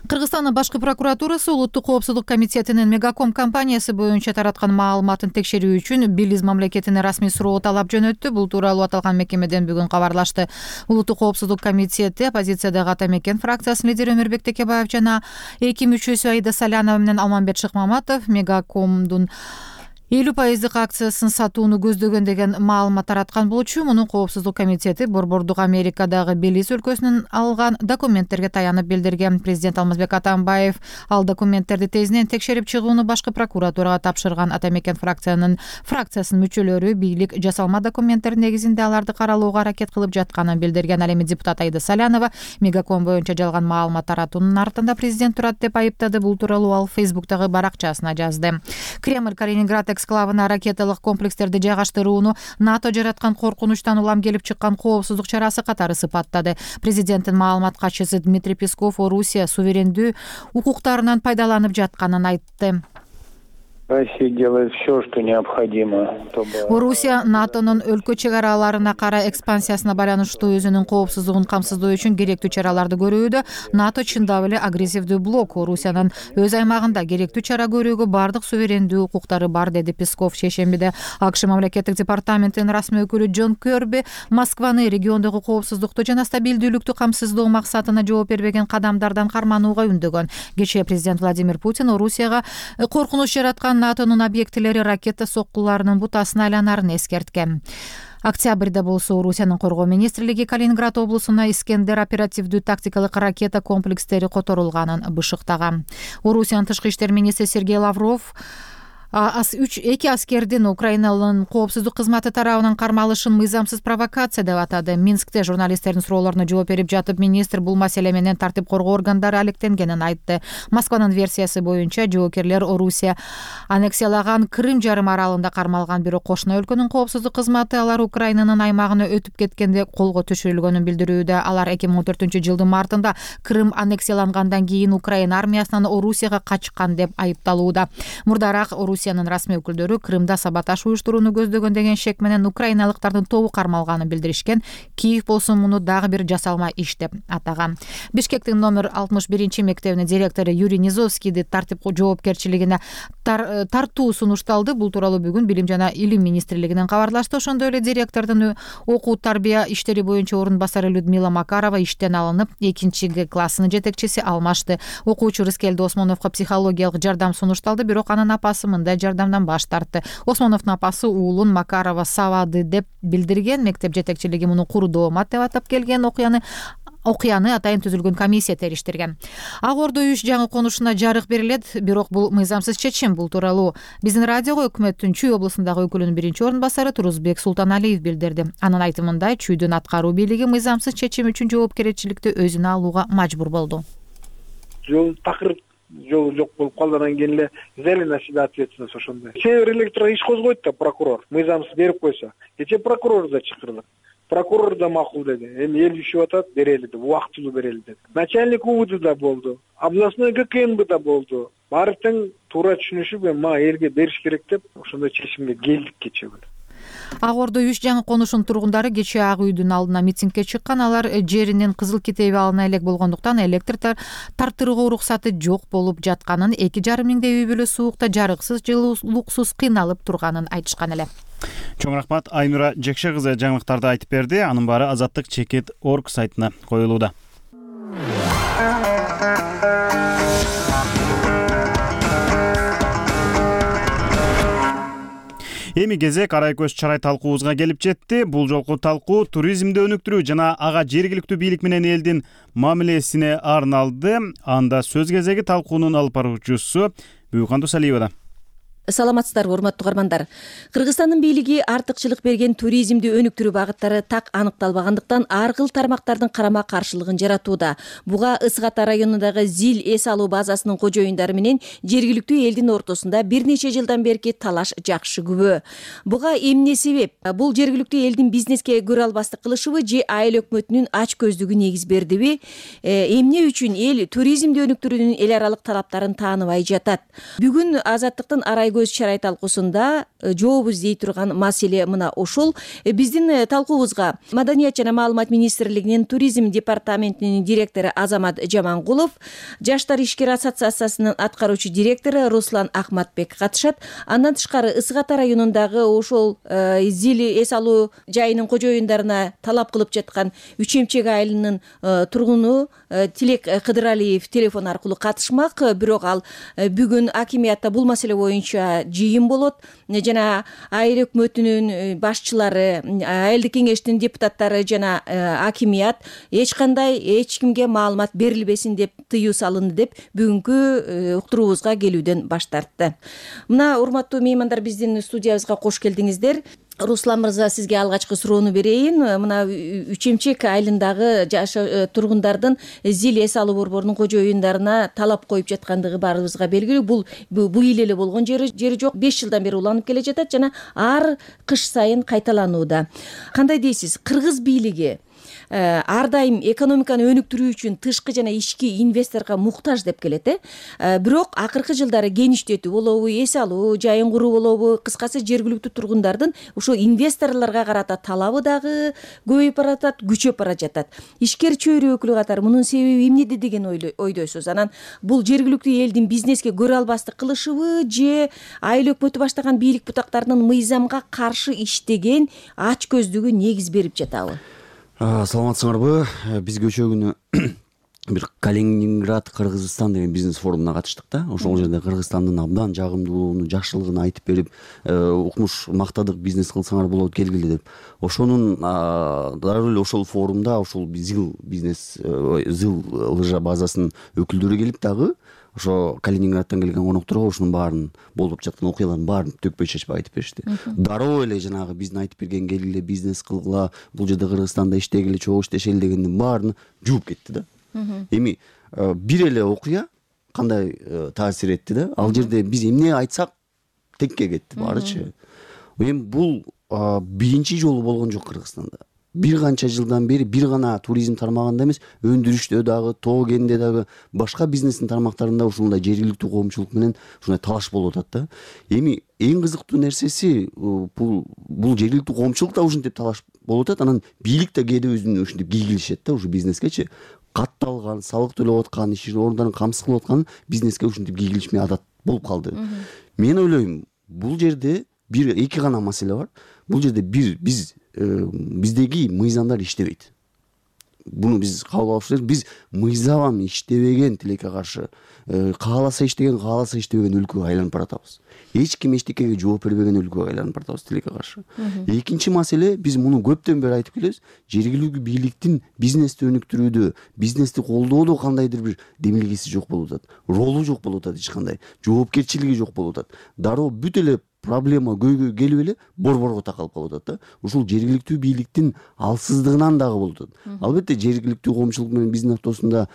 Кыргызстандын башкы прокуратурасы Улуттук коопсуздук комитетинин Мегаком компаниясы боюнча тараткан маалыматын текшерүү үчүн Белиз мамлекетине расмий суроо талап жөнөттү. Бул тууралуу аталган мекемеден бүгүн кабарлашты. Улуттук коопсуздук комитети оппозициядагы Ата Мекен фракциясынын лидери Өмүрбек Текебаев жана эки мүчөсү Аида Салянова менен Алмамбет Шыкмаматов Мегакомдун 50% акциясын сатууну көздөгөн деген маалымат тараткан болчу. Мунун коопсуздук комитети Борбордук Америкадагы Белиз өлкөсүнөн алган документтерге таянып билдирген. Президент Алмазбек Атамбаев ал документтерди тезинен текшерип чыгууну башкы прокуратурага тапшырган. Ата Мекен фракциясынын мүчөлөрү бийлик жасалма документтер негизинде аларды каралууга аракет кылып жатканын билдирген. Ал эми депутат Аида Салянова Мегаком боюнча жалган маалымат таратуунун артында президент турат деп айыптады. Бул тууралуу ал Фейсбуктагы баракчасына жазды. Кремль Калининград эксклавына ракеталык комплекстерди жайгаштырууну НАТО жараткан коркунучтан улам келип чыккан коопсуздук чарасы катары сыпаттады. Президенттин маалымат катчысы Дмитрий Песков Орусия суверендүү укуктарынан пайдаланып жатканын айтты. Россия делает все, что необходимо, чтобы... Орусия НАТОнун өлкө чек араларына карай экспансиясына байланыштуу өзүнүн коопсуздугун камсыздоо үчүн керектүү чараларды көрүүдө. НАТО чындап эле агрессивдүү блок. Орусиянын өз аймагында керектүү чара көрүүгө бардык суверендүү укуктары бар, деди Песков. Шейшембиде АКШ мамлекеттик департаментинин расмий өкүлү Джон Кёрби Москваны региондогу коопсуздукту жана стабилдүүлүктү камсыздоо максатына жооп бербеген кадамдардан карманууга үндөгөн. Кечээ президент Владимир Путин Орусияга коркунуч жараткан НАТОнун объектилери ракета соккуларынын бутасына айланарын эскерткен. Октябрда болсо Орусиянын коргоо министрлиги Калининград облусуна Искендер оперативдүү тактикалык ракета комплекстери которулганын бышыктаган. Орусиянын тышкы иштер министри Сергей Лавров эки аскердин Украинанын коопсуздук кызматы тарабынан кармалышын мыйзамсыз провокация деп атады. Минскте журналисттердин суроолоруна жооп берип жатып, министр бул маселе менен тартип коргоо органдары алектенгенин айтты. Москванын версиясы боюнча жоокерлер Орусия аннексиялаган Крым жарым аралында кармалган, бирок кошуна өлкөнүн коопсуздук кызматы алар Украинанын аймагына өтүп кеткенде колго түшүрүлгөнүн билдирүүдө. Алар 2014-жылдын мартында Крым аннексиялангандан кийин Украина армиясынан Орусияга качкан деп айыпталууда. Мурдараак Орусиянын расмий өкүлдөрү Крымда саботаж уюштурууну көздөгөн деген шек менен украиналыктардын тобу кармалганын билдиришкен. Киев болсо муну дагы бир жасалма иш деп атаган. Бишкектин номер 61 мектебинин директору Юрий Низовскийди тартип жоопкерчилигине тартуу сунушталды. Бул тууралуу бүгүн Билим жана Илим министрлигинен кабарлашты. Ошондой эле директордун окуу тарбия иштери боюнча орун басары Людмила Макарова иштен алынып, 2 классынын жетекчиси алмашты. Окуучу Рыскелди Осмоновго психологиялык жардам сунушталды, бирок анын апасы мындай жардамдан баш тартты. Осмоновдун апасы уулун Макарова сабады деп билдирген. Мектеп жетекчилиги муну куру доомат деп атап келген. Окуяны атайын түзүлгөн комиссия териштирген. Ак Ордо үч жаңы конушуна жарык берилет, бирок бул мыйзамсыз чечим. Бул тууралуу биздин радиого өкмөттүн Чүй облусундагы өкүлүнүн биринчи орун басары Турузбек Султаналиев билдирди. Анын айтымында Чүйдүн аткаруу бийлиги мыйзамсыз чечим үчүн жоопкерчиликти өзүнө алууга мажбур болду. Жол такыр жол жок болуп калды, анан кийин эле взяли на себя ответственность ошондой. Север электро иш козгойт да прокурор, мыйзамсыз берип койсо. Кечээ прокурорду да чакырдык. прокурор да макул деди. Эми эл ишип атат, берели деп, убактылуу берели деди. Начальник УВД да болду. Областной ГКМБ да болду. Баары тең туура түшүнүшүп, мага элге бериш керек деп ошондой чечимге келдик кечээ күнү. Ак Ордо 3 жаңы конушунун тургундары кечээ ак үйдүн алдына митингге чыккан. Алар жеринин кызыл китеби алына элек болгондуктан электр тартыргуу уруксаты жок болуп жатканын, 2,5 миңдей үй бүлө суукта жарыксыз, жылуулуксуз кыйналып турганын айтышкан эле. Чоң рахмат, Айнура Жекше кызы жаңылыктарды айтып берди. Анын баары Азаттык Чекит.org сайтына коюлууда. Эми кезек арай көз чарай талкуубузга келип жетти. Бул жолку талкуу туризмди өнүктүрүү жана ага жергиликтүү бийлик менен элдин мамилесине арналды. Анда сөз кезеги талкуунун алып баруучусу Бүкөн Дусалиевада. Саламатсыздарбы, урматтуу угармандар. Кыргызстандын бийлиги артыкчылык берген туризмди өнүктүрүү багыттары так аныкталбагандыктан ар кыл тармактардын карама каршылыгын жаратууда. Буга Ысык Ата районундагы Зил эс алуу базасынын кожоюндары менен жергиликтүү элдин ортосунда бир нече жылдан берки талаш жакшы күбө. Буга эмне себеп? Бул жергиликтүү элдин бизнеске көрө албастык кылышыбы же айыл өкмөтүнүн ач көздүгү негиз бердиби? Эмне үчүн эл туризмди өнүктүрүүнүн эл аралык талаптарын тааныбай жатат? Бүгүн Азаттыктын арай көз чарай талкуусунда жообуз дей турган маселе мына ошол. Биздин талкуубузга Маданият жана маалымат министрлигинин туризм департаментинин директору Азамат Жамангулов, Жаштар ишкер ассоциациясынын аткаруучу директору Руслан Акматбек катышат. Андан тышкары Ысык Ата районундагы ошол Зил эс алуу жайынын кожоюндарына талап кылып жаткан Үчемчек айылынын тургуну Тилек Кыдыралиев телефон аркылуу катышмак. Бирок ал бүгүн акимиятта бул маселе боюнча жыйын болот жана айыл өкмөтүнүн башчылары, айылдык кеңештин депутаттары жана акимият эч кимге маалымат берилбесин деп тыюу салынды деп бүгүнкү уктуруубузга келүүдөн баш тартты. Мына урматтуу меймандар, биздин студиябызга кош келдиңиздер. Руслан мырза, сизге алгачкы суроону берейин. Мына Үчемчек айылындагы тургундардын Зил эс алуу борборунун кожоюндарына талап коюп жаткандыгы баарыбызга белгилүү. Бул быйыл эле болгон жери жок. 5 жылдан бери уланып келе жатат жана ар кыш сайын кайталанууда. Кандай дейсиз? Кыргыз бийлиги ар дайым экономиканы өнүктүрүү үчүн тышкы жана ички инвесторго муктаж деп келет. Бирок акыркы жылдары кеңиштетүү болобу, эс алуу жайын куруу болобу, кыскасы жергиликтүү тургундардын ушул инвесторлорго карата талабы дагы көбөйүп баратат, күчөп бара жатат. Ишкер чөйрө өкүлү катары мунун себеби эмнеде деген ойдойсуз? Анан бул жергиликтүү элдин бизнеске көрө албастык кылышыбы же айыл өкмөтү баштаган бийлик бутактарынын мыйзамга каршы иштеген ач көздүгү негиз берип жатабы? Саламатсыңарбы? Биз көчө күнү бир Калининград Кыргызстан деген бизнес форумуна катыштык да. Ошол жерде Кыргызстандын абдан жагымдуулугун, жакшылыгын айтып берип, укмуш мактадык, бизнес кылсаңар болот, келгиле деп. Ошонун дароо эле ошол форумда ошол Зил лыжа базасынын өкүлдөрү келип дагы ошо Калининградтан келген конокторго ушунун баарын болуп жаткан окуялардын баарын төкпөй чечпей айтып беришти. Дароо эле жанагы биздин айтып берген келгиле, бизнес кылгыла, бул жерде Кыргызстанда иштегиле, чогуу иштешели дегендин баарын жууп кетти да. Эми бир эле окуя кандай таасир этти да? Ал жерде биз эмне айтсак текке кетти баарычы. Эми бул биринчи жолу болгон жок Кыргызстанда. Бир канча жылдан бери бир гана туризм тармагында эмес, өндүрүштө дагы, тоо кенде дагы, башка бизнестин тармактарында ушундай жергиликтүү коомчулук менен ушундай талаш болуп атат да. Эми эң кызыктуу нерсеси бул жергиликтүү коомчулук да ушинтип талаш болуп атат, анан бийлик да кээде өзүнүн ушинтип кийгилишет да, ушу бизнескечи. Катталган, салык төлөп аткан, иш орундарын камсыз кылып аткан бизнеске ушинтип кийгилишмей адат болуп калды. Мен ойлойм, бул жерде бир эки гана маселе бар. Бул жерде биздеги мыйзамдар иштебейт. Буну биз кабыл алыш керек. Биз мыйзам иштебеген тилекке каршы, кааласа иштеген, кааласа иштебеген өлкөгө айланып баратабыз. Эч ким эчтекеге жооп бербеген өлкөгө айланып баратабыз тилекке каршы. Экинчи маселе, биз муну көптөн бери айтып келебиз. Жергиликтүү бийликтин бизнести өнүктүрүүдө, бизнести колдоодо кандайдыр бир демилгеси жок болуп атат. Ролу жок болуп атат, эч кандай жоопкерчилиги жок болуп атат. Дароо бүт эле проблема көйгөй келип эле борборго такалып калып атат да. Ушул жергиликтүү бийликтин алсыздыгынан дагы болуп атат. Албетте жергиликтүү коомчулук менен биздин ортосунда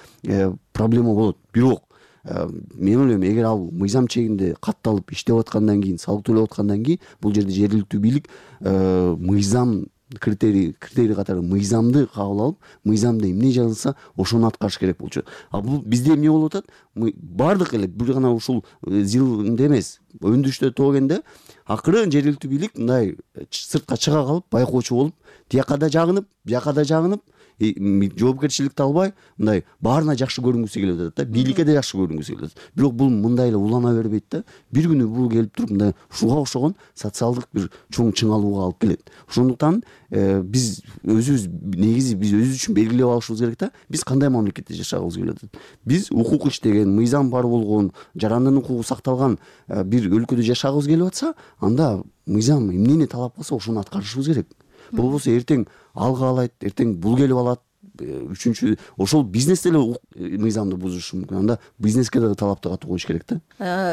проблема болот. Бирок мен ойлойм, эгер ал мыйзам чегинде катталып иштеп аткандан кийин, салык төлөп аткандан кийин, бул жерде жергиликтүү бийлик мыйзам критерий катары мыйзамды кабыл алып, мыйзамда эмне жазылса ошону аткарыш керек болчу. А бул бизде эмне болуп атат? Бардык эле бир гана ушул ЗИЛде эмес, өндүрүштө тогенде акыры жергиликтүү бийлик мындай сыртка чыга калып, байкоочу болуп, тияка да жагынып, бияка да жагынып, жоопкерчиликти албай, мындай баарына жакшы көрүнгүсү келип атат да, бийликке да жакшы көрүнгүсү келип атат. Бирок бул мындай эле улана бербейт да. Бир күнү бул келип туруп мындай ушуга окшогон социалдык бир чоң чыңалууга алып келет. Ошондуктан биз өзүбүз негизи биз өзүбүз үчүн белгилеп алышыбыз керек да. Биз кандай мамлекетте жашагыбыз келип атат? Биз укук иштеген, мыйзам бар болгон, жарандын укугу сакталган бир өлкөдө жашагыбыз келип атса, анда мыйзам эмнени талап кылса ошону аткарышыбыз керек. Болбосо эртең ал каалайт, эртең бул келип алат. Үчүнчү ошол бизнес деле мыйзамды бузушу мүмкүн. Анда бизнеске да талапты катуу коюш керек да.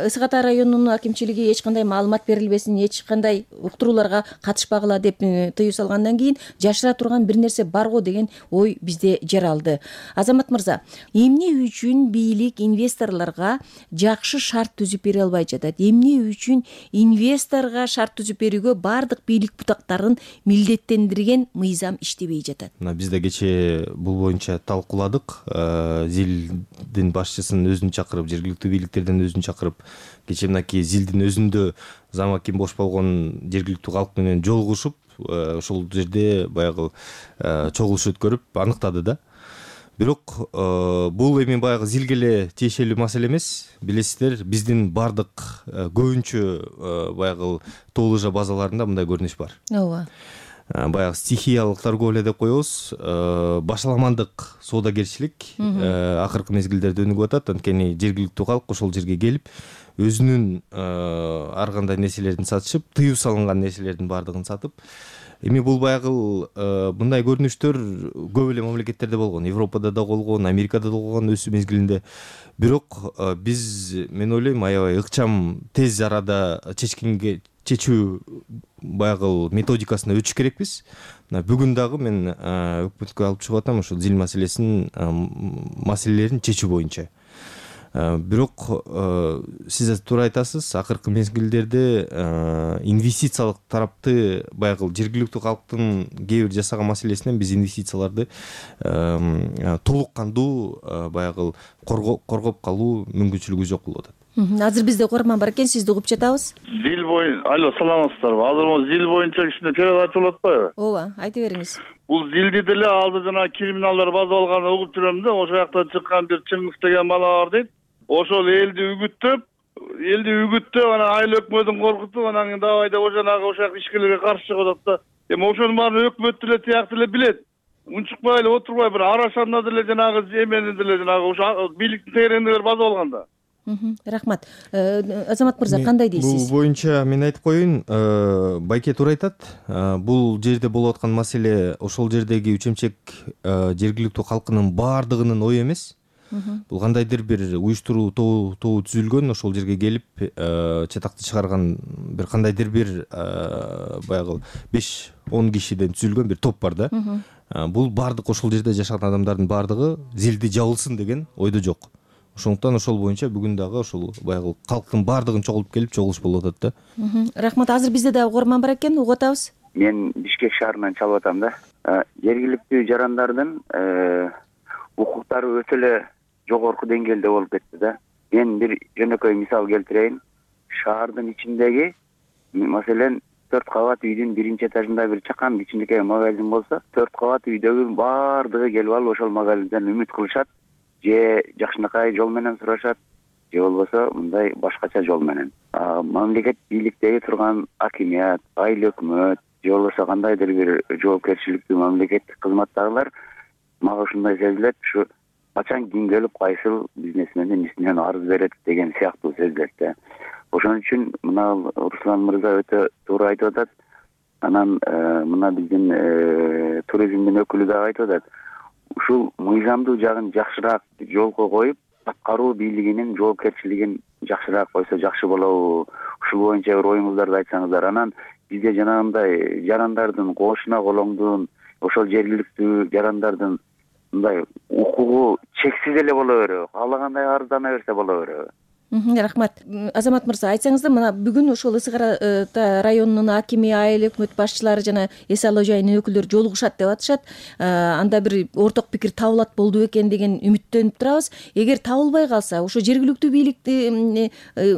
Ысык Ата районунун акимчилиги эч кандай маалымат берилбесин, эч кандай уктурууларга катышпагыла деп тыюу салгандан кийин жашыра турган бир нерсе бар го деген ой бизде жаралды. Азамат мырза, эмне үчүн бийлик инвесторлорго жакшы шарт түзүп бере албай жатат? Эмне үчүн инвесторго шарт түзүп берүүгө бардык бийлик бутактарын милдеттендирген мыйзам иштебей жатат? Бизде кечээ бул боюнча талкууладык. ЗИЛдин башчысын өзүн чакырып, жергиликтүү бийликтерден өзүн чакырып, кечээ мынакей ЗИЛдин өзүндө замакин бош болгон жергиликтүү калк менен жолугушуп, ошол жерде баягы чогулуш өткөрүп аныктады да. Бирок бул эми баягы ЗИЛге эле тиешелүү маселе эмес. Билесиздер, биздин бардык көбүнчө баягы тоо лыжа базаларында мындай көрүнүш бар. Ооба. Баягы стихиялык торговля деп коебуз, башаламандык соодагерчилик акыркы мезгилдерде өнүгүп атат. Анткени жергиликтүү калк ошол жерге келип, өзүнүн ар кандай нерселерин сатышып, тыюу салынган нерселердин баардыгын сатып. Эми бул баягы мындай көрүнүштөр көп эле мамлекеттерде болгон. Европада да болгон, Америкада да болгон өсүү мезгилинде. Бирок биз, мен ойлойм, аябай ыкчам тез арада чечүү баягы методикасына өтүш керекпиз. Бүгүн дагы мен өкмөткө алып чыгып атам ошол ЗИЛ маселелерин чечүү боюнча. Бирок сиз туура айтасыз, акыркы мезгилдерде инвестициялык тарапты баягы жергиликтүү калктын кээ бир жасаган маселесинен биз инвестицияларды толук кандуу баягы коргоп калуу мүмкүнчүлүгү жок болуп атат. Азыр бизде угарман бар экен, сизди угуп жатабыз. ЗИЛ боюнча, алло, саламатсыздарбы? Азыр могу ЗИЛ боюнча кичине перевод айтып атпайбы? Ооба, айта бериңиз. Бул ЗИЛди деле алды жана криминалдар база алганды угуп жүрөм да, ошол жакта чыккан бир Чыңгыз деген бала бар дейт. Ошол элди үгүттөп, анан айыл өкмөтүн коркутуп, анан кийин давай деп ошол жак ишкерлерге каршы чыгып атат да. Эми ошонун баарын өкмөт деле тияктуу эле билет. Унчукпай эле отурбай бир арашанда деле жанагы эмени деле жанагы ошо бийликтин тегерегиндегилер база алганда. Рахмат. Азамат мырза, кандай дейсиз? Бул боюнча мен айтып коеюн, Байке туура айтат. Бул жерде болуп аткан маселе ошол жердеги үчемчек жергиликтүү калкынын баардыгынын ою эмес. Бул кандайдыр бир уюштуруу тобу түзүлгөн, ошол жерге келип чатакты чыгарган бир кандайдыр бир баягы 5-10 кишиден түзүлгөн бир топ бар да. Бул баардык ошол жерде жашаган адамдардын баардыгы ЗИЛди жабылсын деген ойдо жок. Ошондуктан ошол боюнча бүгүн дагы ошол баягы калктын баардыгын чогулуп келип чогулуш болуп атат да. Рахмат. Азыр бизде дагы угарман бар экен, угуп атабыз. Мен Бишкек шаарынан чалып атам да. Жергиликтүү жарандардын укуктары өтө эле жогорку деңгээлде болуп кетти да. Мен бир жөнөкөй мисал келтирейин. Шаардын ичиндеги, маселен, 4 кабат үйдүн биринчи этажында бир чакан кичинекей магазин болсо, 4 кабат үйдөгү баардыгы келип алып ошол магазинден үмүт кылышат, же жакшынакай жол менен сурашат, же болбосо мындай башкача жол менен. Мамлекет бийликтеги турган акимият, айыл өкмөт, же болбосо кандайдыр бир жоопкерчиликтүү мамлекеттик кызматтагылар мага ушундай сезилет, ушу качан ким келип кайсыл бизнесмендин исинен арыз берет деген сыяктуу сезилет да. Ошон үчүн мына Руслан мырза өтө туура айтып атат. Анан мына биздин туризмдин өкүлү дагы айтып атат. Ушул мыйзамдуу жагын жакшыраак жолго коюп, аткаруу бийлигинин жоопкерчилигин жакшыраак койсо жакшы болобу? Ушул боюнча бир оюңуздарды айтсаңыздар. Анан бизде жанагындай жарандардын кошуна колоңдун, ошол жергиликтүү жарандардын мындай укугу чексиз эле боло береби? Каалагандай арыздана берсе боло береби? Рахмат. Азамат мырза, айтсаңыз да, мына бүгүн ошол Ысык Ара районунун акими, айыл өкмөт башчылары жана эс алуу жайынын өкүлдөрү жолугушат деп атышат. Анда бир орток пикир табылат болду экен деген үмүттөнүп турабыз. Эгер табылбай калса, ошо жергиликтүү бийликти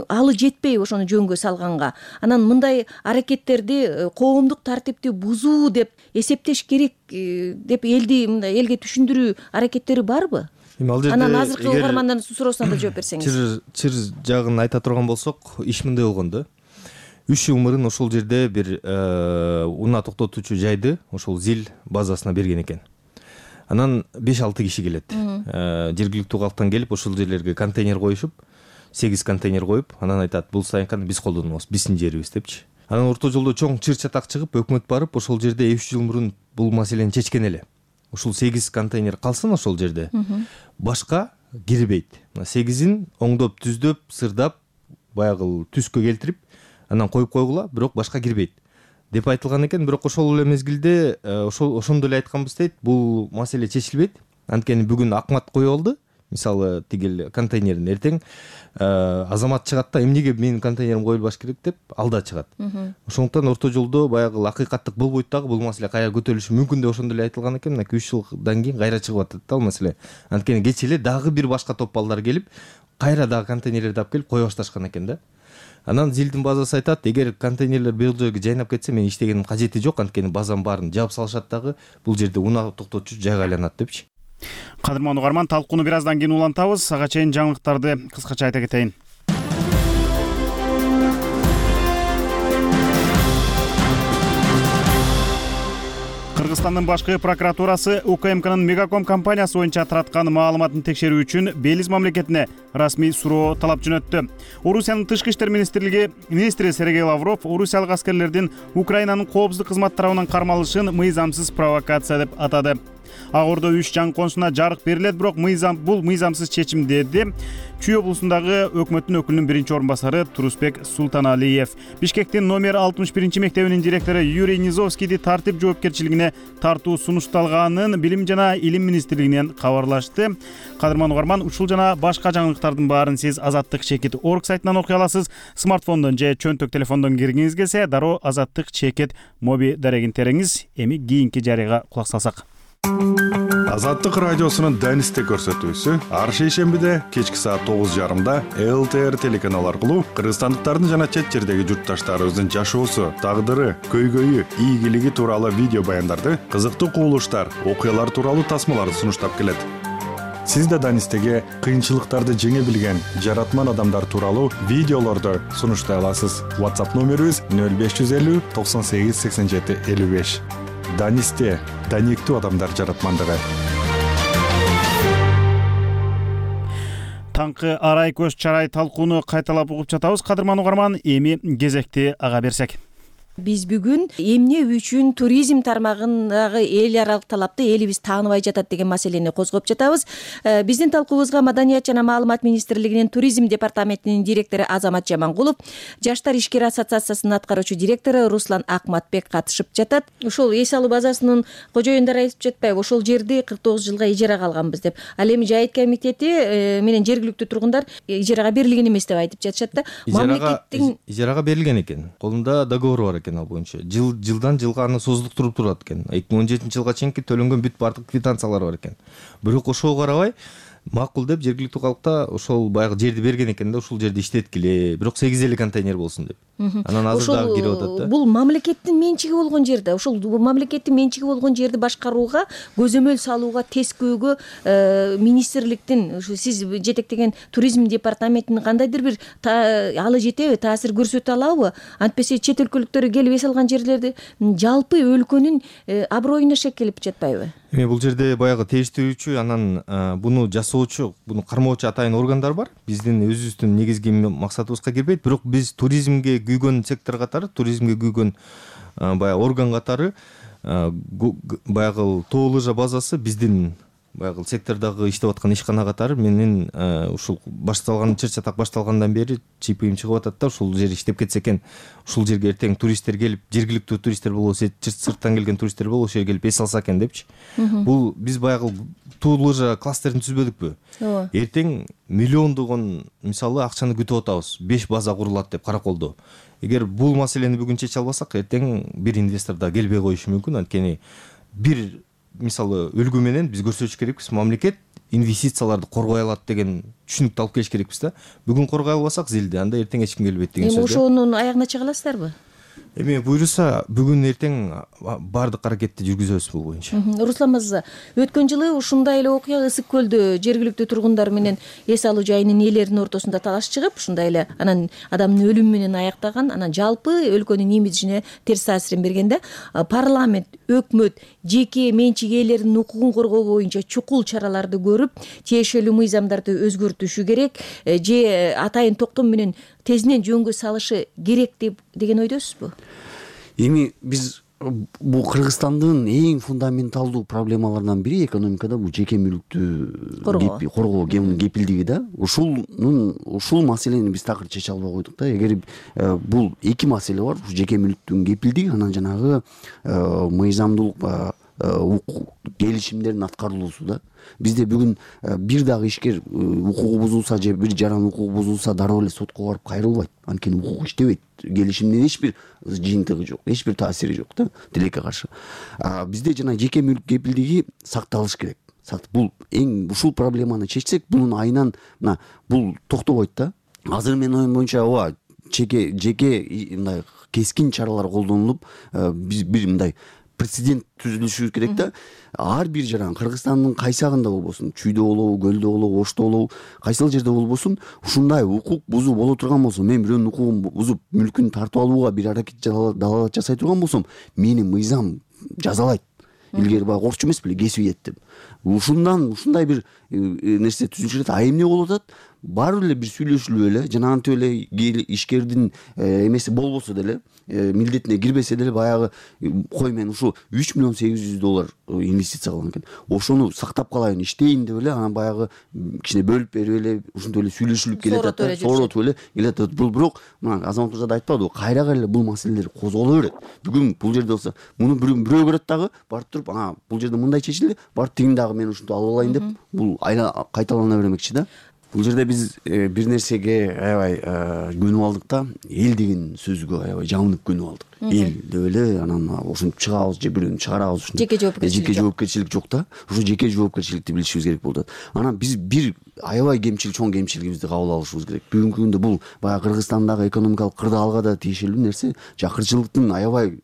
алы жетпей ошону жөнгө салганга, анан мындай аракеттерди коомдук тартипти бузуу деп эсептеш керек деп элге түшүндүрүү аракеттери барбы? Анан азыркы угармандардын суроосуна да жооп берсеңиз. Чыр жагын айта турган болсок, иш мындай болгон да. 3 жыл мурун ошол жерде бир унаа токтотуучу жайды ошол зил базасына берген экен. Анан 5-6 киши келет. Жергиликтүү калктан келип ошол жерлерге контейнер коюшуп, 8 контейнер коюп, анан айтат, бул сайынканы биз колдонобуз, биздин жерибиз депчи. Анан орто жолдо чоң чыр чатак чыгып, өкмөт барып, ошол жерде 3 жыл мурун бул маселени чечкен эле. Ушул 8 контейнер калсын ошол жерде. Башка кирбейт. 8-ин оңдоп, түздөп, сырдап, баягы түскө келтирип, анан коюп койгула, бирок башка кирбейт деп айтылган экен. Бирок ошол эле мезгилде ошондо эле айтканбыз дейт, бул маселе чечилбейт. Анткени бүгүн акмат коюп алды. Мисалы, тигил контейнерин эртең азамат чыгат да, эмнеге менин контейнерим коюлбаш керек деп алда чыгат. Ошондуктан орто жолдо баягы акыйкаттык болбойт дагы, бул маселе кайра көтөрүлүшү мүмкүн деп ошондо эле айтылган экен. 2-3 жылдан кийин кайра чыгып атат да ал маселе. Анткени кечээ эле дагы бир башка топ балдар келип, кайра дагы контейнерлерди алып келип кое башташкан экен да. Анан зилдин базасы айтат, эгер контейнерлер бул жерге жайнап кетсе, мен иштегеним кажети жок, анткени базанын баарын жаап салышат дагы, бул жерде унаа токтотуучу жайга айланат депчи. Кадырман угарман, талкууну бир аздан кийин улантабыз. Ага чейин жаңылыктарды кыскача айта кетейин. Кыргызстандын башкы прокуратурасы УКМКнын Мегаком компаниясы боюнча тараткан маалыматын текшерүү үчүн Белиз мамлекетине расмий суроо талап жөнөттү. Орусиянын тышкы иштер министри Сергей Лавров Орусиялык аскерлердин Украинанын коопсуздук кызмат тарабынан кармалышын мыйзамсыз провокация деп атады. Ак Ордо 3 жаңы консулуна жарык берилет, бирок бул мыйзамсыз чечим деди Чүй облусундагы өкмөттүн өкүлүнүн биринчи орун басары Турусбек Султаналиев. Бишкектин номер 61 мектебинин директору Юрий Низовскийди тартип жоопкерчилигине тартуу сунушталганын Билим жана Илим министрлигинен кабарлашты. Кадырман угарман, ушул жана башка жаңылыктардын баарын сиз azattik.org сайтынан окуй аласыз. Смартфондон же чөнтөк телефондон киргиңиз келсе, дароо Azattik моби дарегин тереңиз. Эми кийинки жарыйга кулак салсак. Азаттык радиосунун Данисте көрсөтүүсү ар шейшембиде кечки саат 9:30 ЛТР телеканалы аркылуу кыргызстандыктардын жана чет жердеги журтташтарыбыздын жашоосу, тагдыры, көйгөйү, ийгилиги тууралуу видео баяндарды, кызыктуу кубулуштар, окуялар тууралуу тасмаларды сунуштап келет. Сиз да Данистеге кыйынчылыктарды жеңе билген жаратман адамдар тууралуу видеолорду сунуштай аласыз. WhatsApp номерибиз 0550 98 87 55. Данисте, даниктүү адамдар жаратмандыгы. Таңкы арай көз чарай талкууну кайталап угуп жатабыз. Кадырман угарман, эми кезекти ага берсек. Биз бүгүн эмне үчүн туризм тармагындагы эл аралык талапты элибиз тааныбай жатат деген маселени козгоп жатабыз. Биздин талкуубузга Маданият жана маалымат министрлигинин туризм департаментинин директору Азамат Жамангулов, Жаштар ишкер ассоциациясынын аткаруучу директору Руслан Акматбек катышып жатат. Ошол эс алуу базасынын кожоюндары айтып жатпайбы, ошол жерди 49 жылга ижарага алганбыз деп. Ал эми жайыт комитети менен жергиликтүү тургундар ижарага берилген эмес деп айтып жатышат да. Мамлекеттин ижарага берилген экен. Колунда договор бар экен ал боюнча. Жылдан жылга аны созулуктуруп турат экен. 2017 жылга чейинки төлөнгөн бүт бардык квитанциялар бар экен. Бирок ошого карабай макул деп жергиликтүү калкта ошол баягы жерди берген экен да, ушул жерди иштеткиле, бирок 8 эле контейнер болсун деп. Анан азыр дагы кирип атат да. Бул мамлекеттин менчиги болгон жер да. Ошол мамлекеттин менчиги болгон жерди башкарууга, көзөмөл салууга, тескөөгө министрликтин, сиз жетектеген туризм департаментинин кандайдыр бир алы жетеби, таасир көрсөтө алабы? Антпесе чет өлкөлүктөр келип эс алган жерлерди жалпы өлкөнүн аброюна шек келип жатпайбы? Эми бул жерде баягы териштирүүчү, анан буну жасоочу, буну кармоочу атайын органдар бар. Биздин өзүбүздүн негизги максатыбызга кирбейт, бирок биз туризмге күйгөн сектор катары, туризмге күйгөн баягы орган катары баягы тоо лыжа базасы биздин баягы сектордогу иштеп аткан ишкана катары менин ушул башталган чыр чатак башталгандан бери чийим чыгып атат да, ушул жер иштеп кетсе экен, ушул жерге эртең туристтер келип, жергиликтүү туристтер болобу, сырттан келген туристтер болобу, ошол жерге келип эс алса экен депчи. Бул биз баягы туу лыжа кластерин түзбөдүкпү? Ооба. Эртең миллиондогон мисалы акчаны күтүп атабыз, 5 база курулат деп Караколдо. Эгер бул маселени бүгүн чече албасак, эртең бир инвестор да келбей коюшу мүмкүн. Анткени бир мисалы үлгү менен биз көрсөтүш керекпиз, мамлекет инвестицияларды коргой алат деген түшүнүктү алып келиш керекпиз да. Бүгүн коргой албасак зилди, анда эртең эч ким келбейт деген сөз. Эми ошонун аягына чыга аласыздарбы? Эми буйруса бүгүн эртең баардык аракетти жүргүзөбүз бул боюнча. Руслан мырза, өткөн жылы ушундай эле окуя Ысык көлдө жергиликтүү тургундар менен эс алуу жайынын ээлеринин ортосунда талаш чыгып, ушундай эле анан адамдын өлүмү менен аяктаган, анан жалпы өлкөнүн имиджине терс таасирин бергенде парламент, өкмөт жеке менчик ээлеринин укугун коргоо боюнча чукул чараларды көрүп, тиешелүү мыйзамдарды өзгөртүшү керек, же атайын токтом менен тезинен жөнгө салышы керек деген ойдосузбу? Эми биз бул Кыргызстандын эң фундаменталдуу проблемаларынан бири экономикада бул жеке мүлктү коргоо кепилдиги да. Ушул маселени биз такыр чече албай койдук да. Эгер бул эки маселе бар, жеке мүлктүн кепилдиги, анан жанагы мыйзамдуулук келишимдердин аткарылуусу да. Бизде бүгүн бир дагы ишкер укугу бузулса же бир жаран укугу бузулса дароо эле сотко барып кайрылбайт. Анткени укук иштебейт. Келишимдин эч бир жыйынтыгы жок, эч бир таасири жок да тилекке каршы. Бизде жана жеке мүлк кепилдиги сакталыш керек. Бул ушул проблеманы чечсек, бунун айынан бул токтобойт да. Азыр менин оюм боюнча ооба жеке мындай кескин чаралар колдонулуп, биз бир мындай прецедент түзүлүшү керек да. Ар бир жаран Кыргызстандын кайсагында болбосун, Чүйдө болобу, Көлдө болобу, Ошто болобу, кайсыл жерде болбосун, ушундай укук бузуу боло турган болсо, мен бирөөнүн укугун бузуп, мүлкүн тартып алууга бир аракет далалат жасай турган болсом, мени мыйзам жазалайт. Илгери баягы орчу эмес беле, кесип деп. Ушундай бир нерсе түзүлүш керек. А эмне болуп атат? Баары эле бир сүйлөшүлүп эле, жанагынтип эле ишкердин эмеси болбосо деле, милдетине кирбесе деле баягы кой мен ушу $3,800,000 инвестиция кылган экен. Ошону сактап калайын, иштейин деп эле, анан баягы кичине бөлүп берип эле, ушинтип эле сүйлөшүлүп келатат, сооротуп эле келатат. Бирок мына Азамат мырза да айтпадыбы, кайра эле бул маселелер козголо берет. Бүгүн бул жерде болсо, муну бирөө көрөт дагы, барып туруп, бул жерде мындай чечилди, барып тигин дагы мен ушинтип алып алайын деп, бул кайталана бермекчи да. Бул жерде биз бир нерсеге аябай көнүп алдык да, эл деген сөзгө аябай жамынып көнүп алдык. Эл деп эле анан ошентип чыгабыз же бирөөнү чыгарабыз. Жеке жоопкерчилик жок да. Ошо жеке жоопкерчиликти билишибиз керек болот. Анан биз бир аябай чоң кемчилигибизди кабыл алышыбыз керек. Бүгүнкү күндө бул баягы Кыргызстандагы экономикалык кырдаалга да тиешелүү нерсе, жакырчылыктын аябай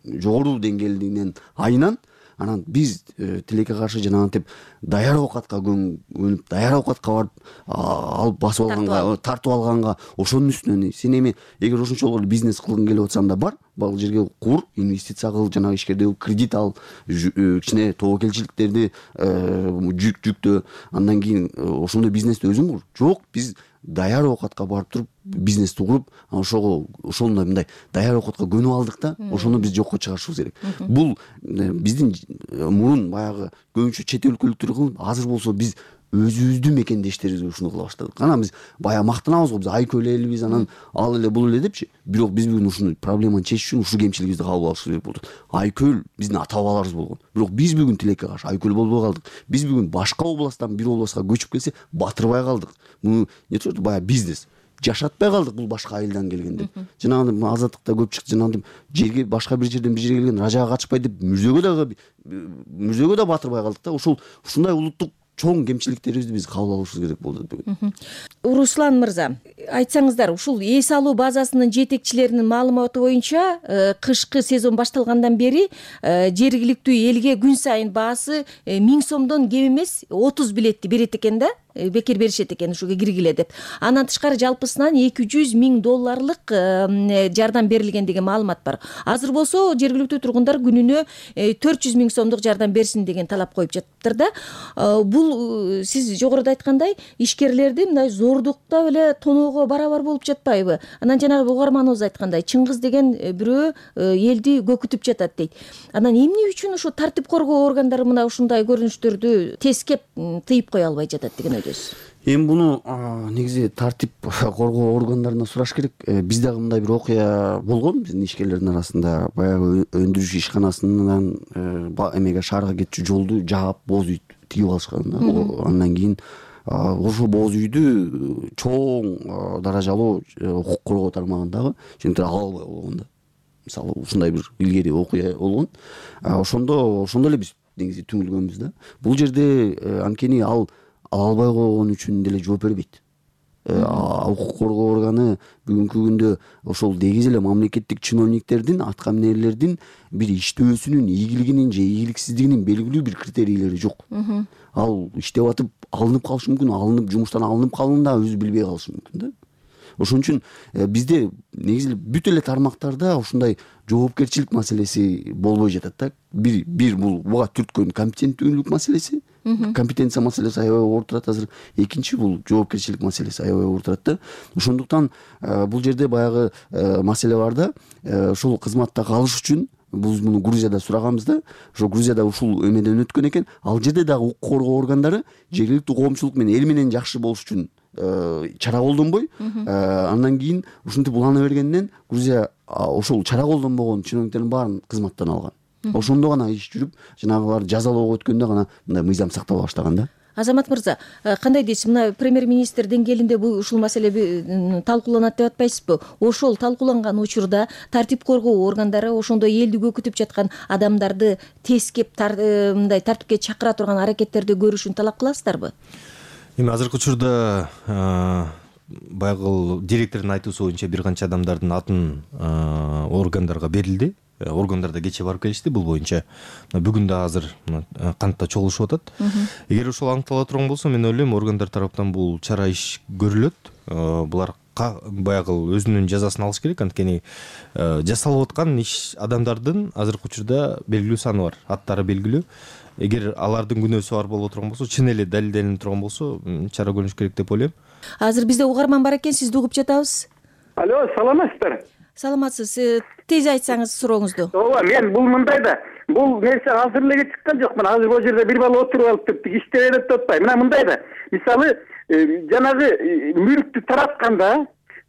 жогору деңгээлинен айынан. Анан биз тилекке каршы жанагынтип даяр оокатка көнүп, даяр оокатка барып алып басып алганга, тартып алганга, ошонун үстүнөн сен эми эгер ошончолук бизнес кылгың келип атсаң да бар, бул жерге кур, инвестиция кыл, жанагы ишкерде кредит ал, кичине тобокелчиликтерди жүктө, андан кийин ошондой бизнести өзүң кур. Жок, биз даяр оокатка барып туруп бизнести куруп, ошондой мындай даяр оокатка көнүп алдык да, ошону биз жокко чыгарышыбыз керек. Бул биздин мурун баягы көбүнчө чет өлкөлүктөр кылып, азыр болсо биз өзүбүздүн мекендештерибизге ушуну кыла баштадык. Анан биз баягы мактанабыз го, биз айкөл элбиз, анан ал эле бул эле депчи. Бирок биз бүгүн ушуну проблеманы чечиш үчүн ушу кемчилигибизди кабыл алышыбыз керек болду. Айкөл биздин ата бабаларыбыз болгон. Бирок биз бүгүн тилекке каршы айкөл болбой калдык. Биз бүгүн башка областтан бир областка көчүп келсе, батырбай калдык. Муну нече баягы бизнес жашатпай калдык, бул башка айылдан келген деп. Жанагы азаттыкта көп чыкты, жанагы жерге башка бир жерден бир жерге келген ражага качпай деп мүрзөгө да батырбай калдык да. Ушундай улуттук чоң кемчиликтерибизди биз кабыл алышыбыз керек болду бүгүн. Руслан мырза, айтсаңыздар, ушул эс алуу базасынын жетекчилеринин маалыматы боюнча, кышкы сезон башталгандан бери жергиликтүү элге күн сайын баасы 1000 сомдон кем эмес 30 билетти берет экен да. Бекер беришет экен ушуга киргиле деп. Андан тышкары жалпысынан $200,000 жардам берилген деген маалымат бар. Азыр болсо жергиликтүү тургундар күнүнө $400,000 жардам берсин деген талап коюп жатыптыр да. Бул бул сиз жогоруда айткандай ишкерлерди мындай зордукта эле тоноого барабар болуп жатпайбы? Анан жанагы угарманыбыз айткандай Чыңгыз деген бирөө элди көкүтүп жатат дейт. Анан эмне үчүн ошо тартип коргоо органдары мына ушундай көрүнүштөрдү тескеп тыйып кое албай жатат деген ойдосуз? Эми буну негизи тартип коргоо органдарына сураш керек. Бизде дагы мындай бир окуя болгон биздин ишкерлердин арасында. Баягы өндүрүш ишканасынан эмеге шаарга кетчү жолду жаап боз үй тигип алышкан. Андан кийин ошо боз үйдү чоң даражалуу укук коргоо тармагындагы ошентип ала албай болгон да. Мисалы ушундай бир илгери окуя болгон. Ошондо эле биз негизи түңүлгөнбүз да. Бул жерде анткени ал ала албай койгон үчүн деле жооп бербейт. Укук коргоо органы бүгүнкү күндө ошол дегиз эле мамлекеттик чиновниктердин, атка минерлердин бир иштөөсүнүн ийгилигинин же ийгиликсиздигинин белгилүү бир критерийлери жок. Ал иштеп атып алынып калышы мүмкүн, алынып жумуштан алынып калуун да өзү билбей калышы мүмкүн да. Ошон үчүн бизде негизи бүт эле тармактарда ушундай жоопкерчилик маселеси болбой жатат да. Бир бул буга түрткөн компетенттүүлүк маселеси, компетенция маселеси аябай оор турат азыр. Экинчи бул жоопкерчилик маселеси аябай оор турат да. Ошондуктан бул жерде баягы маселе бар да. Ушул кызматта калыш үчүн биз муну Грузияда сураганбыз да. Ошо Грузияда ушул эмеден өткөн экен. Ал жерде дагы укук коргоо органдары жергиликтүү коомчулук менен эл менен жакшы болуш үчүн чара колдонбой, андан кийин ушинтип улана бергенден Грузия ошол чара колдонбогон чиновниктердин баарын кызматтан алган. Ошондо гана иш жүрүп, жанагылар жазалоого өткөндө гана мындай мыйзам сактала баштаган да. Азамат мырза, кандай дейсиз? Мына премьер-министр деңгээлинде ушул маселе талкууланат деп атпайсызбы? Ошол талкууланган учурда тартип коргоо органдары ошондой элди көкүтүп жаткан адамдарды тескеп мындай тартипке чакыра турган аракеттерди көрүшүн талап кыласыздарбы? Эми азыркы учурда баягы директордун айтуусу боюнча бир канча адамдардын атын органдарга берилди. Органдар да кечээ барып келишти бул боюнча. Бүгүн да азыр кантта чогулушуп атат. Эгер ошол аныктала турган болсо, мен ойлойм органдар тараптан бул чара иш көрүлөт. Булар баягы өзүнүн жазасын алыш керек, анткени жасалып аткан иш адамдардын азыркы учурда белгилүү саны бар, аттары белгилүү. Эгер алардын күнөөсү бар боло турган болсо, чын эле далилденип турган болсо, чара көрүнүш керек деп ойлойм. Азыр бизде угарман бар экен, сизди угуп жатабыз. Алло, саламатсыздар? Саламатсыз. Тез айтсаңыз сурооңузду. Ооба, мен бул мындай да. Бул нерсе азыр эле чыккан жок. Мына азыр бул жерде бир бала отуруп алып иштеп берет деп атпайбы. Мына мындай да. Мисалы, жанагы мүлктү таратканда,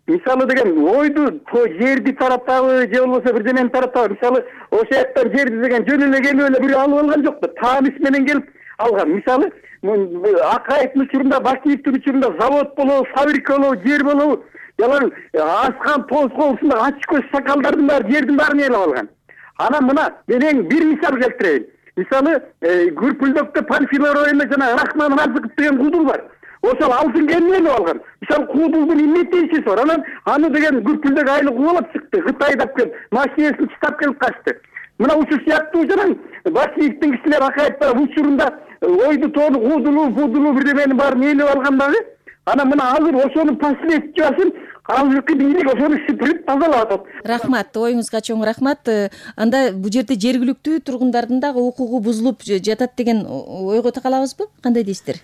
мисалы деген ойду, жерди таратабы, же болбосо бир жемени таратабы. Мисалы, ошол жактан жерди деген жөн эле келип эле бирөө алып алган жок да. Тааныс менен келип алган. Мисалы, Акаевдин учурунда, Бакиевдин учурунда завод болобу, фабрика болобу, жер болобу, ялан аскан тозголусунда ачык көз сакалдардын баары жердин баарын ээлеп алган. Анан мына мен бир мисал келтирейин. Мисалы, Күрпүлдөктө Панфилов районунда жана Рахман Разыков деген куудул бар. Ошол алтын кемени ээлеп алган. Мисалы, куудулдун эмне тийиши бар. Анан аны деген Күрпүлдөк айыл кубалап чыкты. Кытайдап келип, машинесин чытап келип качты. Мына ушул сыяктуу жанан Бакиевдин кишилер Акаевдин учурунда ойду тоону куудулуу, будулуу бирдеменин баарын ээлеп алган дагы. Анан мына азыр ошонун последствиясын азыркы бийлик ошону сүпүрүп тазалап атат. Рахмат, оюңузга чоң рахмат. Анда бул жерде жергиликтүү тургундардын дагы укугу бузулуп жатат деген ойго такалабызбы? Кандай дейсиздер?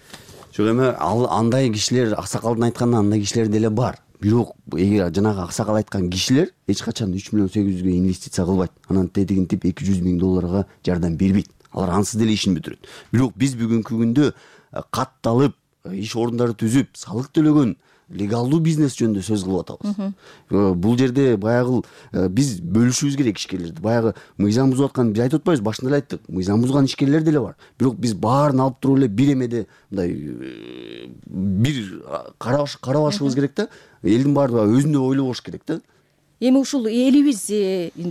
Жок, эми андай кишилер, аксакалдын айтканынан андай кишилер деле бар. Бирок эгер жанагы аксакал айткан кишилер эч качан 3 миллион 800 инвестиция кылбайт. Анан тетигинтип 200 миң долларга жардам бербейт. Алар ансыз деле ишин бүтүрөт. Бирок биз бүгүнкү күндө катталып, иш орундары түзүп, салык төлөгөн легалдуу бизнес жөнүндө сөз кылып атабыз. Бул жерде баягы биз бөлүшүбүз керек ишкерлерди. Баягы мыйзам бузуп аткан биз айтып атпайбыз, башында эле айттык. Мыйзам бузган ишкерлер деле бар. Бирок биз баарын алып туруп эле бир эмеде мындай бир карабашыбыз керек да. Элдин баары өзүндөй ойлобош керек да. Эми ушул элибиз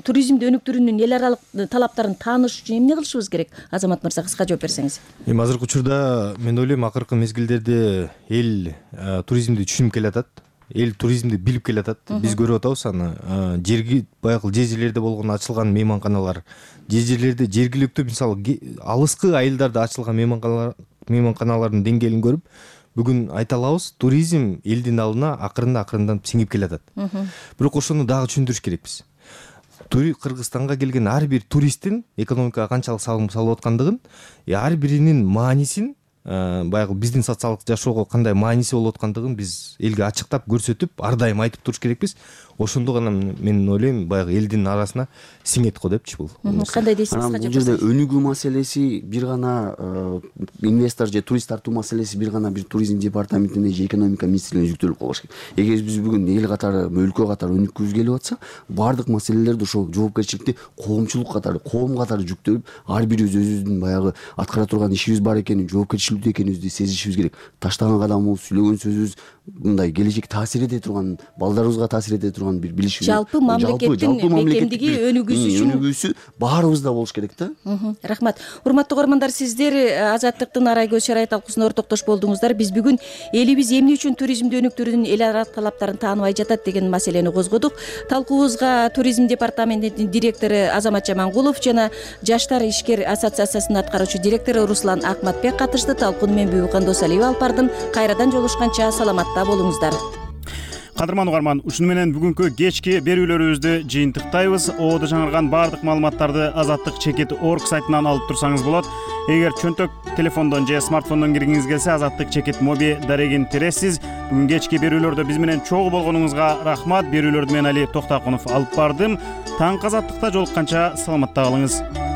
туризмди өнүктүрүүнүн эл аралык талаптарын тааныш үчүн эмне кылышыбыз керек? Азамат мырза, кыска жооп берсеңиз. Эми азыркы учурда мен ойлойм акыркы мезгилдерде эл туризмди түшүнүп келатат. Эл туризмди билип келатат. Биз көрүп атабыз аны. Жерги баягы жерлерде болгон ачылган мейманканалар, жерлерде жергиликтүү мисалы алыскы айылдарда ачылган мейманканалардын деңгээлин көрүп, бүгүн айта алабыз, туризм элдин алдына акырындан сиңип келатат. Бирок ошону дагы түшүндүрүш керекпиз. Кыргызстанга келген ар бир туристтин экономикага канчалык салым салып аткандыгын, ар биринин маанисин баягы биздин социалдык жашоого кандай мааниси болуп аткандыгын биз элге ачыктап көрсөтүп ар дайым айтып туруш керекпиз. Ошондо гана мен ойлойм баягы элдин арасына сиңет го депчи бул. Кандай дейсиз? Анан бул жерде өнүгүү маселеси бир гана инвестор же турист тартуу маселеси бир гана бир туризм департаментине же экономика министрлигине жүктөлүп калыш керек. Эгер биз бүгүн эл катары, өлкө катары өнүккүбүз келип атса, баардык маселелерди ошол жоопкерчиликти коомчулук катары, коом катары жүктөлүп, ар бирибиз өзүбүздүн баягы аткара турган ишибиз бар экенин, жоопкерчиликтүү экенибизди сезишибиз керек. Таштаган кадамыбыз, сүйлөгөн сөзүбүз мындай келечекке таасир эте турган, балдарыбызга таасир эте турган бир билишибиз. Жалпы мамлекеттин бекемдиги, өнүгүүсү баарыбызда болуш керек да. Рахмат. Урматтуу көрөрмандар, сиздер Азаттыктын Арай көз чарай талкуусуна ортоктош болдуңуздар. Биз бүгүн элибиз эмне үчүн туризмди өнүктүрүүнүн эл ара талаптарын тааныбай жатат деген маселени козгодук. Талкуубузга туризм департаментинин директору Азамат Жамангулов жана Жаштар ишкер ассоциациясынын аткаруучу директору Руслан Акматбек катышты. Талкууну мен Бүбүкан Досалиева алып бардым. Кайрадан жолугушканча саламатта болуңуздар. Кадырман угарман, ушуну менен бүгүнкү кечки берүүлөрүбүздү жыйынтыктайбыз. Оодо жаңырган баардык маалыматтарды azattik.org сайтынан алып турсаңыз болот. Эгер чөнтөк телефондон же смартфондон киргиңиз келсе, Azattik моби дарегин тересиз. Бүгүн кечки берүүлөрдө биз менен чогуу болгонуңузга рахмат. Берүүлөрдү мен Али Токтакунов алып бардым. Таң Азаттыкта жолукканча саламатта калыңыз.